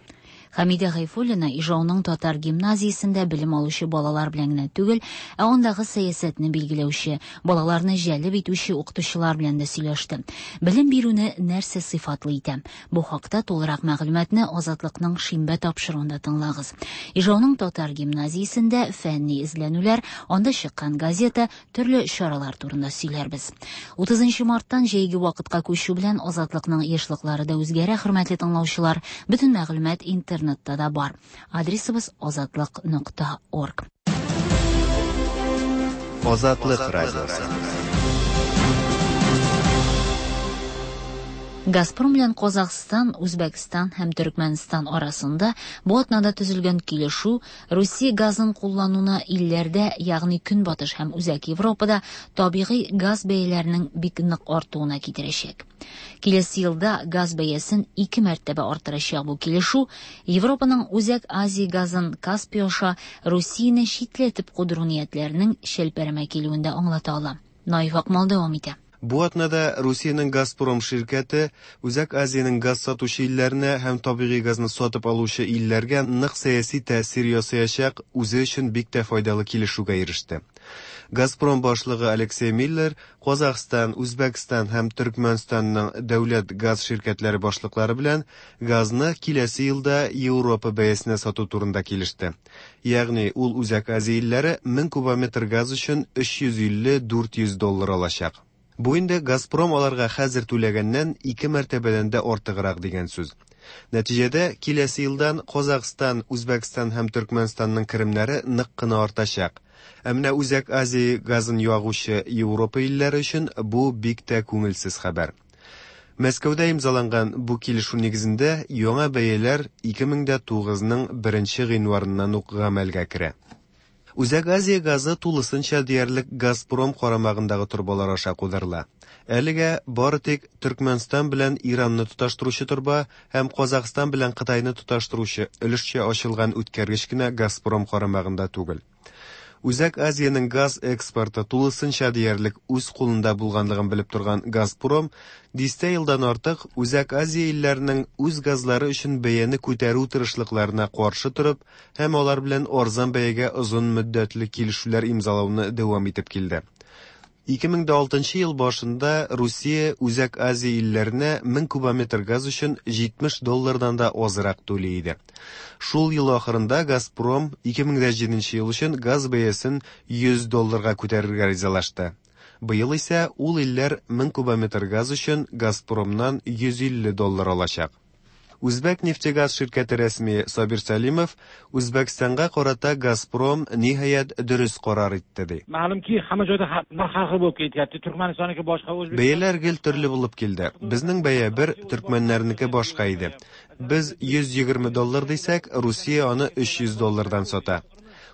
Хәмидә Гайфуллина Ижауның татар гимназиясендә белем алучы балалар белән генә түгел, ә андагы сәясәтне билгеләүче, балаларны җәлеп итүче укытучылар белән дә сөйләште. Белем бирүне нәрсә сыйфатлы итә? Бу хакта тулырак мәгълүматны Азатлыкның шимбә тапшыруында тыңлагыз. Ижауның татар гимназиясендә фәнни эзләнүләр, анда чыккан газета, төрле чаралар турында сөйләрбез. 30 марттан җәйге вакытка күчү белән Азатлыкның ешлыклары да үзгәрә, хөрмәтле тыңлаучылар. Бөтен мәгълүмат интернетта да бар. Адресыбыз азатлык нокта орг. Азатлык радиосы. Газпром белән Казахстан, Үзбәкстан һәм Төрекмәнстан арасында бу атнада төзелгән килешү Русия газын куллануны илләрдә, ягъни Көнбатыш һәм Үзәк Европада табигый газ бәяләренең бик нык артуына китерәчәк. Киләсе елда газ бәясен ике мәртәбә арттырачак бу килешү Европаның Үзәк Азия газын Каспий аша Русияне читләтеп кудыру ниятләренең чәлпәрәмә килүен дә аңлата ала. Наиф Акмал дәвам итә. Бу атнада Русиянең Газпром ширкәте Үзәк Азиянең газ сатучы илләренә һәм табигый газны сатып алучы илләргә нык сәяси тәэсир ясаячак үзе өчен бик тә файдалы килешүгә иреште. Газпром башлыгы Алексей Миллер Казахстан, Үзбәкстан һәм Төркмәнстанның дәүләт газ ширкәтләре башлыклары белән газны киләсе елда Европа бәясенә сату турында килеште. Ягъни ул Үзәк Азия илләре 1000 кубометр газ өчен 350-400 доллар алачак. Бу инде Газпром аларга хәзер түләгәннән ике мәртәбәдән дә артыграк дигән сүз. Нәтиҗәдә, киләсе елдан Казахстан, Үзбәкстан һәм Төркмәнстанның керемнәре нык кына артачак. Ә менә Үзәк Азия газын ягучы Европа илләре өчен бу бик тә күңелсез хәбәр. Мәскәүдә имзаланган бу килешү нигезендә яңа бәяләр 2009 ның беренче гыйнварыннан ук гамәлгә керә. Үзәк Азия газы тулысынча диярлек Газпром карамагындагы торбалар аша кудырыла. Әлегә бары тик Төркмәнстан белән Иранны тоташтыручы торба һәм Казахстан белән Кытайны тоташтыручы өлешчә ачылган үткәргеч кенә Газпром карамагында түгел. Үзәк Азиянең газ экспорты тулысынча диярлек үз кулында булганлыгын белеп торган Газпром дистә елдан артык Үзәк Азия илләренең үз газлары өчен бәяне күтәрү тырышлыкларына каршы торып һәм алар белән арзан бәягә озын мөддәтле килешүләр имзалауны дәвам итеп килде. 2006 ел башында Русия Үзәк Азия илләренә 1000 кубометр газ өчен 70 доллардан да азрак түли иде. Шул ел ахырында Газпром 2007 ел өчен газ бәясен 100 долларга күтәрергә ризалашты. Быел исә ул илләр 1000 кубометр газ өчен Газпромнан 150 доллар алачак. Үзбәк нефтегаз ширкәте рәсми Сабир Сәлимов Үзбәкстанга карата Газпром ниһаять дөрес карар итте ди. Ma'lumki, hamma joyda narx har xil bo'lib ketyapti. Turkmanistonniki boshqa, O'zbekiston Бәяләр гел төрле булып килде. Безнең бәя бер, төркмәннәрнеке башка иде. Без 120 доллар дисәк, Русия аны 300 доллардан сата.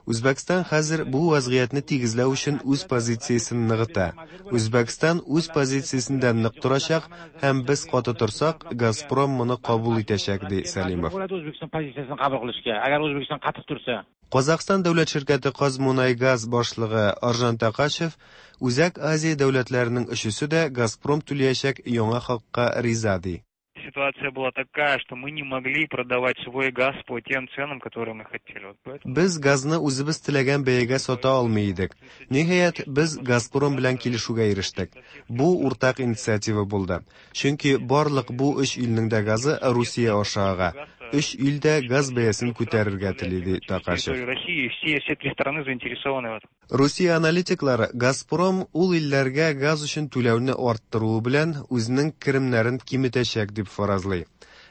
Үзбәкстан хәзер бу вазгыятьне тигезләү өчен үз позициясен ныгыта. Үзбәкстан үз позициясендә нык торачак һәм без каты торсак, Газпром моны кабул итәчәк, ди Сәлимов. bo'ladi O'zbekiston pozitsiyasini qabul qilishga. Agar O'zbekiston qattiq tursa. Казахстан дәүләт ширкәте Казмунайгаз башлыгы Аржан Такашев Үзәк Азия дәүләтләренең өчесе дә Газпром түләячәк яңа хакка риза ди. Ситуация была такая, что мы не могли продавать свой газ по тем ценам, которые мы хотели. Вот поэтому Без газны үзебез теләгән бәягә сата алмый идек. Ниһаять, без Газпром белән килешүгә ирештек. Бу уртак инициатива булды. Чөнки барлык бу өч илнең дә газы Русия аша ага. Өч ил дә газ бәясен күтәрергә тели, ди Такашев. территории России все три страны заинтересованы в этом. Русия аналитиклары Газпром ул илләргә газ өчен түләүне арттыруы белән үзенең керемнәрен киметәчәк дип фаразлый.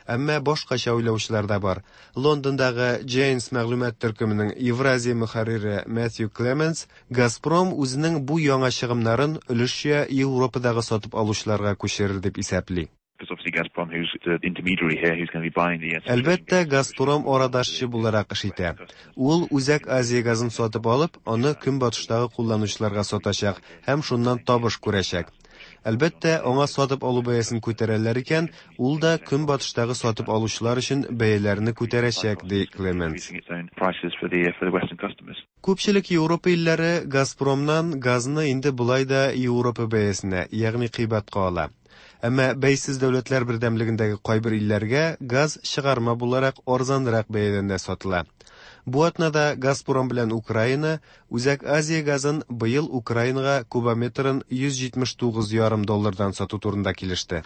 Әмма башкача уйлаучылар да бар. Лондондагы Janes мәгълүмат төркеменең Евразия мөхәррире Matthew Clements Газпром үзенең бу яңа чыгымнарын өлешчә Европадагы сатып алучыларга күчерер дип исәпли. Because obviously Gazprom, who's the intermediary here, who's going to be buying the Әлбәттә, Газпром арадашчы буларак эш итә. Ул Үзәк Азия газын сатып алып, аны көнбатыштагы кулланучыларга сатачак һәм шуннан табыш күрәчәк. Әлбәттә, аңа сатып алу бәясен күтәрәләр икән, ул да көнбатыштагы сатып алучылар өчен бәяләрне күтәрәчәк, ди Клеменс. its own prices for the Western customers. Күпчелек Европа илләре Газпромнан газны инде болай да Европа бәясенә, ягъни кыйбатка ала. Әмма бәйсез дәүләтләр бердәмлегендәге кайбер илләргә газ чыгарма буларак арзанрак бәядән дә сатыла. Бу атнада Газпром белән Украина Үзәк Азия газын быел Украинага кубометрын 179,5 доллардан сату турында килеште.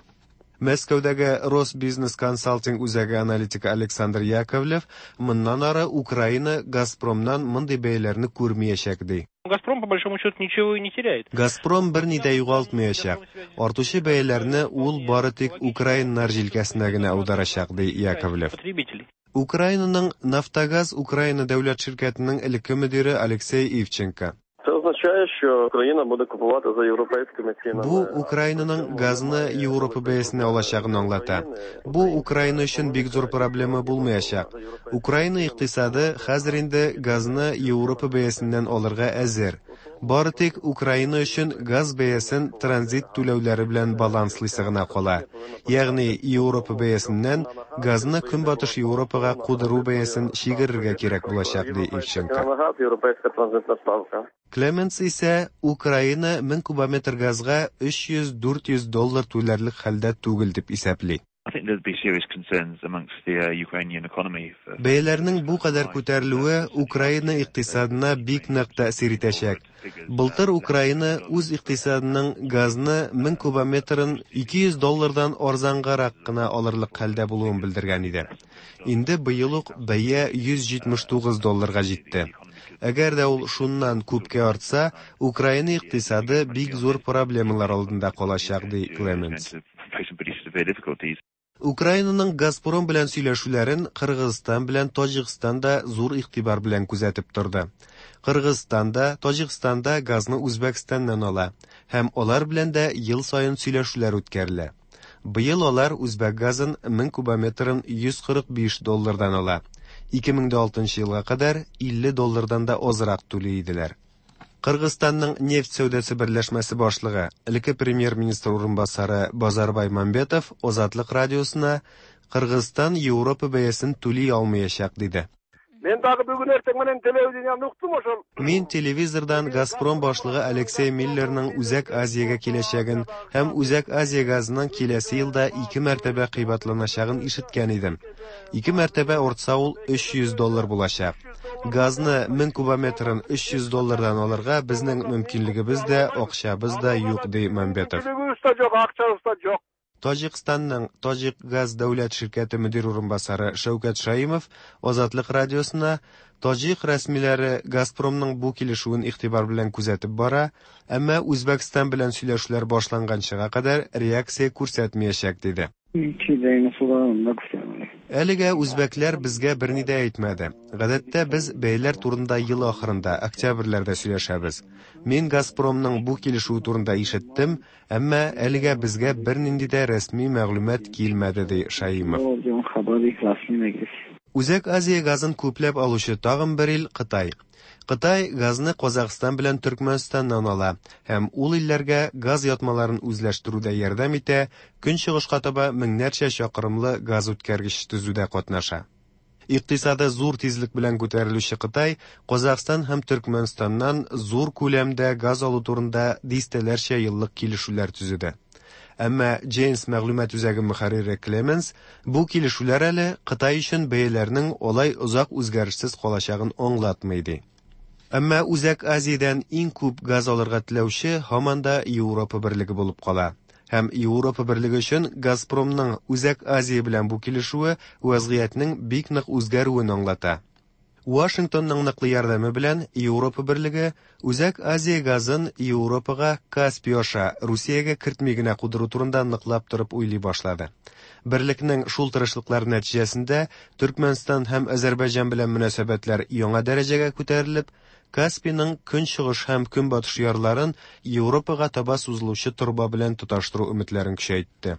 Мәскәүдәге Росбизнес консалтинг үзәге аналитигы Александр Яковлев моннан ары Украина Газпромнан мондый бәяләрне күрмәячәк ди. Газпром, по большому счету, ничего и не теряет. Газпром берни дә югалтмаячак. Артучы бәяләрне ул бары тик украиннар җилкәсенә генә аударачак, ди Яковлев. Потребителей. Украинаның Нафтогаз Украина дәүләт ширкәтенең элекке мөдире Алексей Ивченко. Це означає, що Україна буде купувати за європейськими цінами. Бу Украинаның газны Европа бәясенә алачагын аңлата. Бу Украина өчен бик зур проблема булмаячак. Украина икътисады хәзер инде газны Европа бәясеннән алырга әзер. Бары тик Украина өчен газ бәясен транзит түләүләре белән баланслыйсы гына кала. Ягъни Европа бәясеннән газны Көнбатыш Европага кудыру бәясен чигерергә кирәк булачак, ди Ивченко. Ціна на газ, європейська транзитна ставка. Клеменс исә Украина 1000 кубометр газга 300-400 доллар түләрлек хәлдә түгел дип исәпли. Бәяләрнең бу кадәр күтәрелүе Украина икътисадына бик нык тәэсир итәчәк. Былтыр Украина үз икътисадының газны 1000 кубометрын 200 доллардан арзангарак кына алырлык хәлдә булуын белдергән иде. Инде быел ук бәя 179 долларга җитте. Әгәр дә ул шуннан күпкә артса, Украина икътисады бик зур проблемалар алдында калачак, ди Клеменс. Украинаның Газпром белән сөйләшүләрен Кыргызстан белән Таҗикстан да зур игътибар белән күзәтеп торды. Кыргызстан да, Таҗикстан да газны Үзбәкстаннан ала һәм алар белән дә ел саен сөйләшүләр үткәрелә. Быел алар үзбәк газын 1000 кубометрын 145 доллардан ала. 2006 елга кадәр 50 доллардан да азрак түли иделәр. Кыргызстанның нефть сәүдәсе берләшмәсе башлыгы, элекке премьер-министр урынбасары Базарбай Мамбетов Азатлык радиосына Кыргызстан Европа бәясен түли алмаячак диде. Мен дагы бүгүн эртең менен телевидениени уктум ошол. Мин телевизордан Газпром башлыгы Алексей Миллерның Үзәк Азиягә киләчәген һәм Үзәк Азия газының киләсе елда ике мәртәбә кыйбатланачагын ишеткән идем. Ике мәртәбә артса ул 300 доллар булачак. Газны 1000 кубометрын 300 доллардан алырга безнең мөмкинлегебез дә, акчабыз да юк, ди Мамбетов. Мөмкинлегибиз да жок, акчабыз да жок. Таҗикстанның Таҗикгаз дәүләт ширкәте мөдир урынбасары Шәүкәт Шаимов Азатлык радиосына таҗик рәсмиләре Газпромның бу килешүен игътибар белән күзәтеп бара, әмма Үзбәкстан белән сөйләшүләр башланганчыга кадәр реакция күрсәтмәячәк, диде. Әлегә үзбәкләр безгә берни дә әйтмәде. Гадәттә без бәяләр турында ел ахырында, октябрьләрдә сөйләшәбез. Мин Газпромның бу килешүе турында ишеттем, әмма әлегә безгә бернинди дә рәсми мәгълүмат килмәде, ди Шаимов. Үзәк Азия газын күпләп алучы тагын бер ил Кытай. Кытай газны Казахстан белән Төркмәнстаннан ала һәм ул илләргә газ ятмаларын үзләштерүдә ярдәм итә, көнчыгышка таба меңнәрчә чакрымлы газ үткәргеч төзүдә катнаша. Икътисады зур тизлек белән күтәрелүче Кытай Казахстан һәм Төркмәнстаннан зур күләмдә газ алу турында дистәләрчә еллык килешүләр төзеде. Әмма Джейнс мәгълүмат үзәге мөхәррире Клеменс бу килешүләр әле Кытай өчен бәяләрнең алай озак үзгәрешсез калачагын аңлатмый ди. Әмма Үзәк Азиядән иң күп газ алырга теләүче һаман да Европа берлеге булып кала. Һәм Европа берлеге өчен Газпромның Үзәк Азия белән бу килешүе вазгыятьнең бик нык үзгәрүен аңлата. Вашингтонның ныклы ярдәме белән Европа берлеге Үзәк Азия газын Европага Каспий аша Русиягә кертми генә кудыру турында ныклап торып уйлый башлады. Берлекнең шул тырышлыклары нәтиҗәсендә Төркмәнстан һәм Азәрбайҗан белән мөнәсәбәтләр яңа дәрәҗәгә күтәрелеп, Каспийның көнчыгыш һәм көнбатыш ярларын Европага таба сузылучы торба белән тоташтыру өметләрен көчәйтте.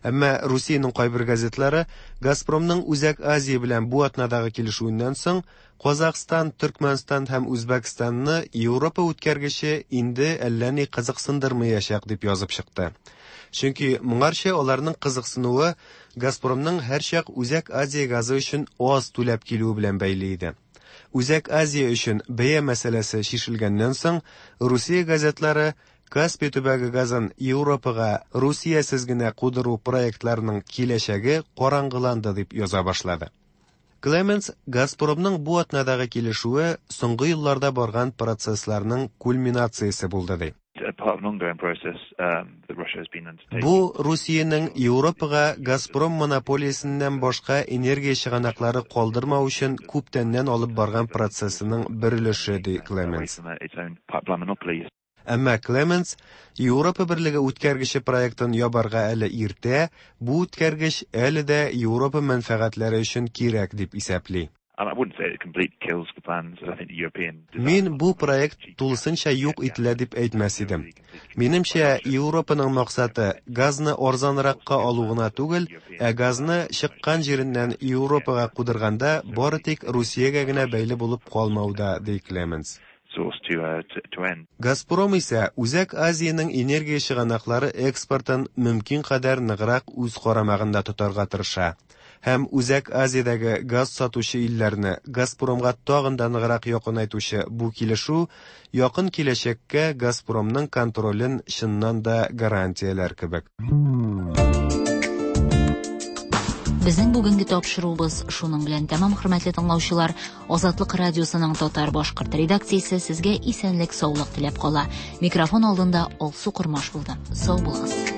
Әмма Русиянең кайбер газетлары Газпромның Үзәк Азия белән бу атнадагы килешүеннән соң Казахстан, Төркмәнстан һәм Үзбәкстанны Европа үткәргече инде әллә ни кызыксындырмаячак дип язып чыкты. Чөнки моңарчы аларның кызыксынуы Газпромның һәрчак Үзәк Азия газы өчен аз түләп килүе белән бәйле иде. Үзәк Азия өчен бәя мәсьәләсе чишелгәннән соң, Русия газетлары Каспий төбәге газын Европага Русиясез генә кудыру проектларының киләчәге караңгыланды дип яза башлады. Клеменс Газпромның бу атнадагы килешүе соңгы елларда барган процессларның кульминациясе булды ди. Бу Русиянең Европага Газпром монополиясеннән башка энергия чыганаклары калдырмау өчен күптәннән алып барган процессының бер өлеше, ди Клеменс. Әмма Клеменс Европа берлеге үткәргече проектын ябарга әле иртә, бу үткәргеч әле дә Европа мәнфәгатьләре өчен кирәк дип исәпли. Мин бу проект тулысынча юк ителә дип әйтмәс идем. Минемчә, Европаның максаты газны арзанракка алу гына түгел, ә газны чыккан җиреннән Европага кудырганда бары тик Русиягә генә бәйле булып калмау да, ди Клеменс. Газпром исә Үзәк Азиянең энергия чыганаклары экспортын мөмкин кадәр ныграк үз карамагында тотарга тырыша. Һәм Үзәк Азиядәге газ сатучы илләрне Газпромга тагын да ныграк якынайтучы бу килешү якын киләчәккә Газпромның контролен чыннан да гарантияләр кебек. Безнең бүгенге тапшыруыбыз шуның белән тәмам, хөрмәтле тыңлаучылар. Азатлык радиосының татар-башкорт редакциясе сезгә исәнлек-саулык теләп кала. Микрофон алдында Алсу Кормаш булды. Сау булыгыз.